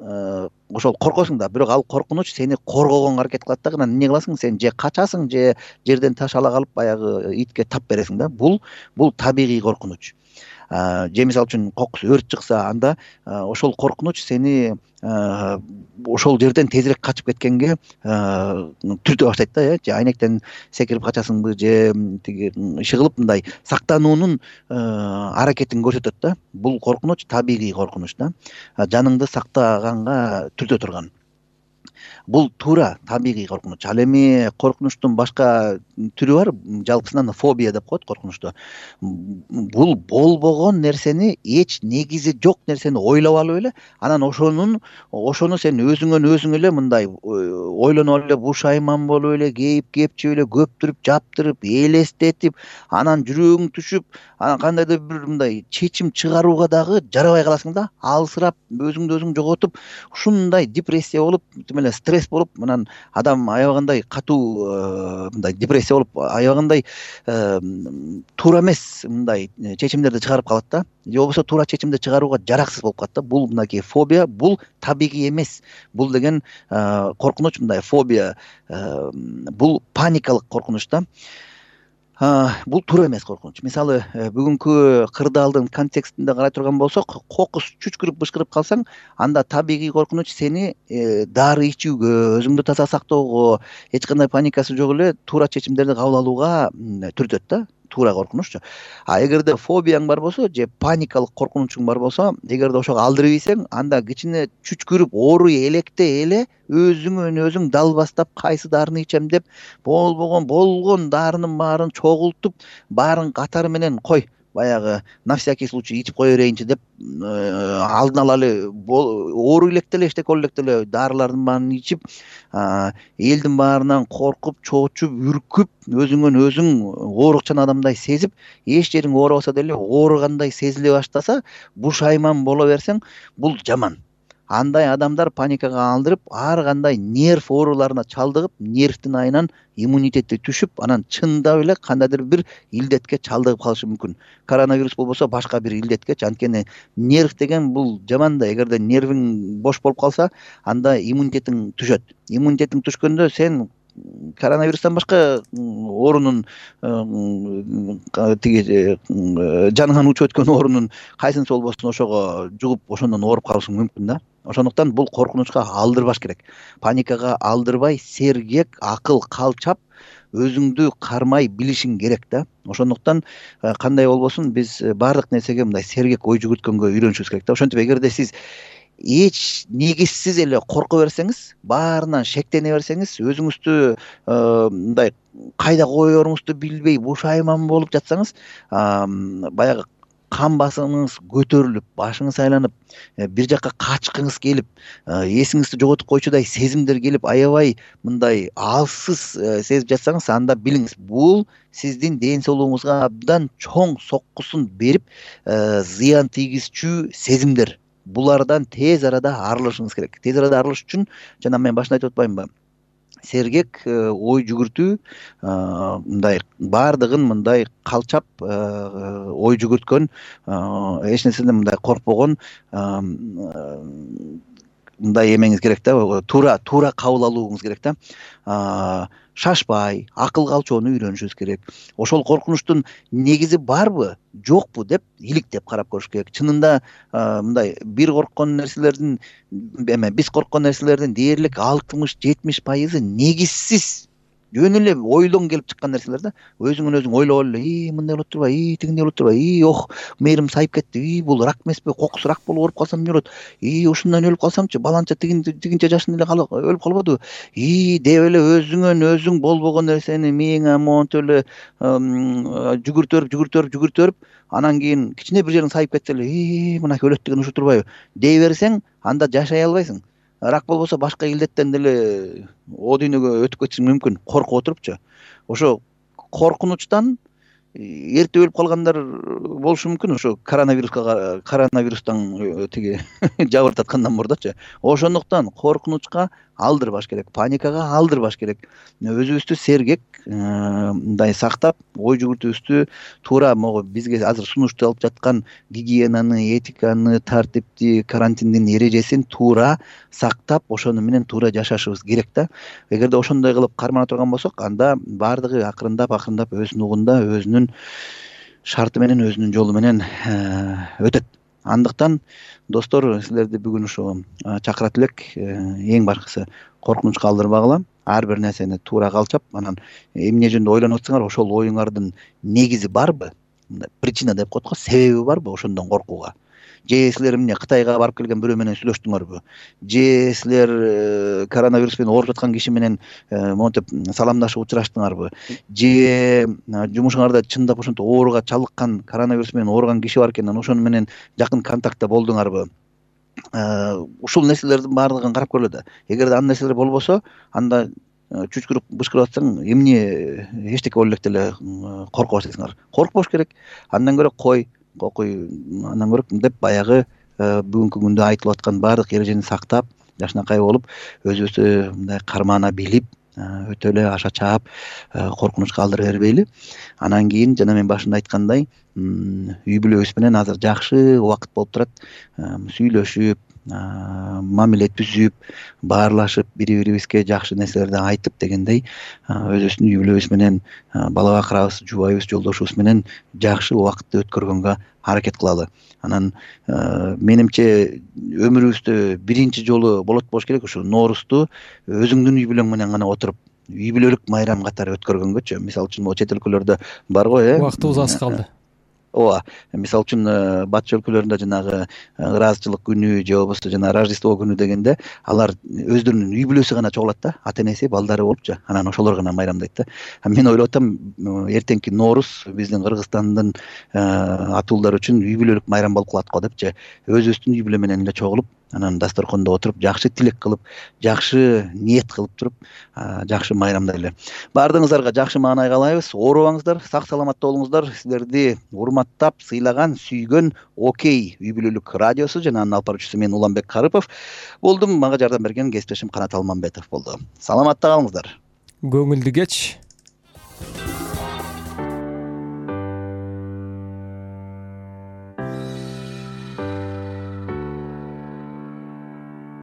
ошол коркосуң да, бирок ал коркунуч сени коргогонго аракет кылат да. Анан эмне кыласың? Сен же качасың, же жерден таш ала калып баягы итке тап бересиң да. Бул бул табигый коркунуч. Же мисалы үчүн кокус өрт чыкса, анда ошол коркунуч сени ошол жерден тезирээк качып кеткенге түртө баштайт да. Же айнектен секирип качасыңбы, же тиги иши кылып мындай сактануунун аракетин көрсөтөт да. Бул коркунуч табигый коркунуч да. Жаныңды сактаганга түртө турган. Бул туура табигый коркунуч. Ал эми коркунучтун башка түрү бар. Жалпысынан фобия деп коет коркунучту. Бул болбогон нерсени, эч негизи жок нерсени ойлоп алып эле, анан ошонун ошону сен өзүңөн өзүң эле мындай ойлонуп эле, бушайман болуп эле, кейип кепчип эле, көптүрүп, жаптырып, элестетип, анан жүрөгүң түшүп, анан кандайдыр бир мындай чечим чыгарууга дагы жарабай каласың да. Алсырап, өзүңдү өзүң жоготуп, ушундай депрессия болуп, тим эле стресс болуп, анан адам аябагандай катуу мындай депрессия болуп, аябагандай туура эмес мындай чечимдерди чыгарып калат да. Же болбосо туура чечимди чыгарууга жараксыз болуп калат да. Бул мынакей фобия, бул табигый эмес. Бул деген коркунуч, мындай фобия, бул паникалык коркунуч да. Бул туура эмес коркунуч. Мисалы, бүгүнкү кырдаалдын контекстинде карай турган болсок, кокус чүчкүрүп бышкырып калсаң, анда табигый коркунуч сени дары ичүүгө, өзүңдү таза сактоого, эч кандай паникасы жок эле туура чечимдерди кабыл алууга түртөт да. Туура коркунуччу. А эгерде фобияң бар болсо, же паникалык коркунучуң бар болсо, эгерде ошого алдырып ийсең, анда кичине чүчкүрүп, ооруй электе эле өзүңөн өзүң далбастап кайсы дарыны ичем деп, болбогон болгон дарынын баарын чогултуп, баарын катары менен кой, баягы на всякий случай ичип кое берейинчи деп, алдын ала эле ооруй электе эле, эчтеке боло электе эле дарылардын баарын ичип, элдин баарынан коркуп, чоочуп, үркүп, өзүңөн өзүң оорукчан адамдай сезип, эч жериң ооробаса деле ооругандай сезиле баштаса, бушайман боло берсең, бул жаман. Андай адамдар паникага алдырып, ар кандай нерв ооруларына чалдыгып, нервдин айынан иммунитети түшүп, анан чындап эле кандайдыр бир илдетке чалдыгып калышы мүмкүн. Коронавирус болбосо башка бир илдеткечи. Анткени нерв деген бул жаман да. Эгерде нервиң бош болуп калса, анда иммунитетиң түшөт. Иммунитетиң түшкөндө сен коронавирустан башка оорунун тиги жаныңан учуп өткөн оорунун кайсынысы болбосун ошого жугуп, ошондон ооруп калышың мүмкүн да. Ошондуктан бул коркунучка алдырбаш керек. Паникага алдырбай, сергек, акыл калчап, өзүңдү кармай билишиң керек да. Ошондуктан кандай болбосун, биз баардык нерсеге мындай сергек ой жүгүрткөнгө үйрөнүшүбүз керек да. Ошентип эгерде сиз эч негизсиз эле корко берсеңиз, баарынан шектене берсеңиз, өзүңүздү мындай кайда коеруңузду билбей бушайман болуп жатсаңыз, баягы кан басымыңыз көтөрүлүп, башыңыз айланып, бир жакка качкыңыз келип, эсиңизди жоготуп койчудай сезимдер келип, аябай мындай алсыз сезип жатсаңыз, анда билиңиз, бул сиздин ден соолугуңузга абдан чоң соккусун берип, зыян тийгизчү сезимдер. Булардан тез арада арылышыңыз керек. Тез арада арылыш үчүн, жана мен башында айтып атпаймынбы, сергек ой жүгүртүү, мындай баардыгын мындай калчап ой жүгүрткөн, эч нерседен мындай коркпогон мындай эмеңиз керек да, туура туура кабыл алууңуз керек да. Шашпай, акыл калчоону үйрөнүшүбүз керек. Ошол коркунучтун негизи барбы, жокпу деп иликтеп карап көрүш керек. Чынында мындай бир корккон нерселердин, эме биз корккон нерселердин дээрлик алтымыш жетимиш пайызы негизсиз, жөн эле ойдон келип чыккан нерселер да. Өзүңөн өзүң ойлоп эле, и мындай болот турбайбы, и тигиндей болот турбайбы, и ох, мээрим сайып кетти, и бул рак эмеспи, кокус рак болуп ооруп калсам эмне болот, и ушундан өлүп калсамчы, баланча тигинче жашында эле өлүп калбадыбы, и деп эле өзүңөн өзүң болбогон нерсени мээңе монтип эле жүгүртөрүп, жүгүртөрүп, жүгүртөрүп, анан кийин кичине бир жериң сайып кетсе эле, и мынакей өлөт деген ушу турбайбы дей берсең, анда жашай албайсың. Рак болбосо башка илдеттен деле о дүйнөгө өтүп кетишиң мүмкүн, коркуп отурупчу. Ошо коркунучтан эрте өлүп калгандар болушу мүмкүн, ошо коронавируска коронавирустан тиги жабыртаткандан мурдачы. Ошондуктан коркунучка алдырбаш керек, паникага алдырбаш керек. Өзүбүздү сергек мындай сактап, ой жүгүртүүбүздү туура могу бизге азыр сунушталып жаткан гигиенаны, этиканы, тартипти, карантиндин эрежесин туура сактап, ошону менен туура жашашыбыз керек да. Эгерде ошондой кылып кармана турган болсок, анда баардыгы акырындап акырындап өзүнүн угунда, өзүнүн шарты менен, өзүнүн жолу менен өтөт. Андыктан достор, силерди бүгүн ушу чакырат элек. Эң башкысы коркунучка алдырбагыла, ар бир нерсени туура калчап, анан эмне жөнүндө ойлонуп атсаңар, ошол оюңардын негизи барбы? Причина деп коет го, себеби барбы ошондон коркууга? Же силер эмне Кытайга барып келген бирөө менен сүйлөштүңөрбү? Же силер коронавирус менен ооруп жаткан киши менен монтип саламдашып учураштыңарбы? Же жумушуңарда чындап ошентип ооруга чалыккан, коронавирус менен ооруган киши бар экен, ошону менен жакын контактта болдуңарбы? Ушул нерселердин баардыгын карап көрөлү да. Эгерде андай нерселер болбосо, анда чүчкүрүп бышкырып атсаң, эмне эчтеке ойлоп деле коркуп атасыңар. Коркпош керек. Андан көрө кой, кокуй, андан көрө деп баягы бүгүнкү күндө айтылып аткан баардык эрежени сактап, жакшынакай болуп, өзүбүздү мындай кармана билип, өтө эле аша чаап, коркунучка алдыра бербейли. Анан кийин жана мен башында айткандай, үй бүлөбүз менен азыр жакшы убакыт болуп турат. Сүйлөшүп, мамиле түзүп, баарлашып, бири-бирибизге жакшы нерселерди айтып дегендей, өзүбүздүн үй бүлөбүз менен, бала бакырабыз, жубайыбыз, жолдошубуз менен жакшы убакытты өткөргөнгө аракет кылалы. Анан менимче өмүрүбүздө биринчи жолу болот болуш керек ушу Ноорузду өзүңдүн үй бүлөң менен гана отуруп, үй бүлөлүк майрам катары өткөргөнгөчү. Мисалы үчүн могу чет өлкөлөрдө бар го, э? Убактыбыз аз калды. Ооба, мисалы үчүн батыш өлкөлөрүндө жанагы ыраазычылык күнү же болбосо жана Рождество күнү дегенде алар өздөрүнүн үй бүлөсү гана чогулат да, ата энеси, балдары болупчу. Анан ошолор гана майрамдайт да. Мен ойлоп атам, эртеңки Норуз биздин Кыргызстандын атуулдар үчүн үй бүлөлүк майрам болуп калат го депчи. Өзүбүздүн үй бүлө менен эле чогулуп, анан дасторкондо отуруп, жакшы тилек кылып, жакшы ниет кылып туруп, жакшы майрамдайлы. Баардыгыңыздарга жакшы маанай каалайбыз. Оорубаңыздар, сак саламатта болуңуздар. Силерди урматтап, сыйлаган, сүйгөн Окей үй бүлөлүк радиосу жана анын алып баруучусу мен Уланбек Карыпов болдум. Мага жардам берген кесиптешим Канат Алмамбетов болду. Саламатта калыңыздар. Көңүлдүү кеч.